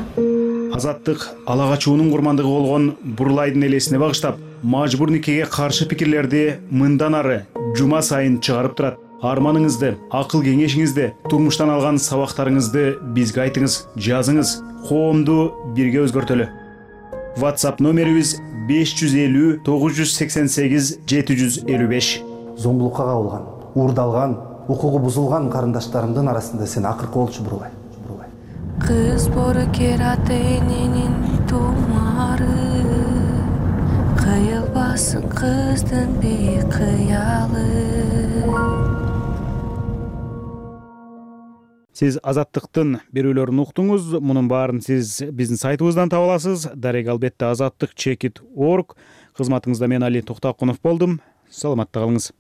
Азаттык ала качуунун курмандыгы болгон Бурулайдын элесине багыштап, мажбур никеге каршы пикирлерди мындан ары жума сайын чыгарып турат. Арманыңызды, акыл кеңешиңизди, турмуштан алган сабактарыңызды бизге айтыңыз, жазыңыз, коомду бирге өзгөртөлү. WhatsApp номерибиз 550 988 755.
Зомбулукка кабылган, уурдалган, укугу бузулган карындаштарымдын арасында сен акыркы болчу Бурулай.
Кыз бору кератенинин тумары,
кыйылбасын кыздын бейкыялы.
Сиз Азаттыктын берүүлөрүн уктуңуз. Мунун баарын сиз биздин сайтыбыздан таба аласыз. Дарек албетте azattik.org. Кызматыңызда мен Али Токтокунов болдум. Саламатта калыңыз.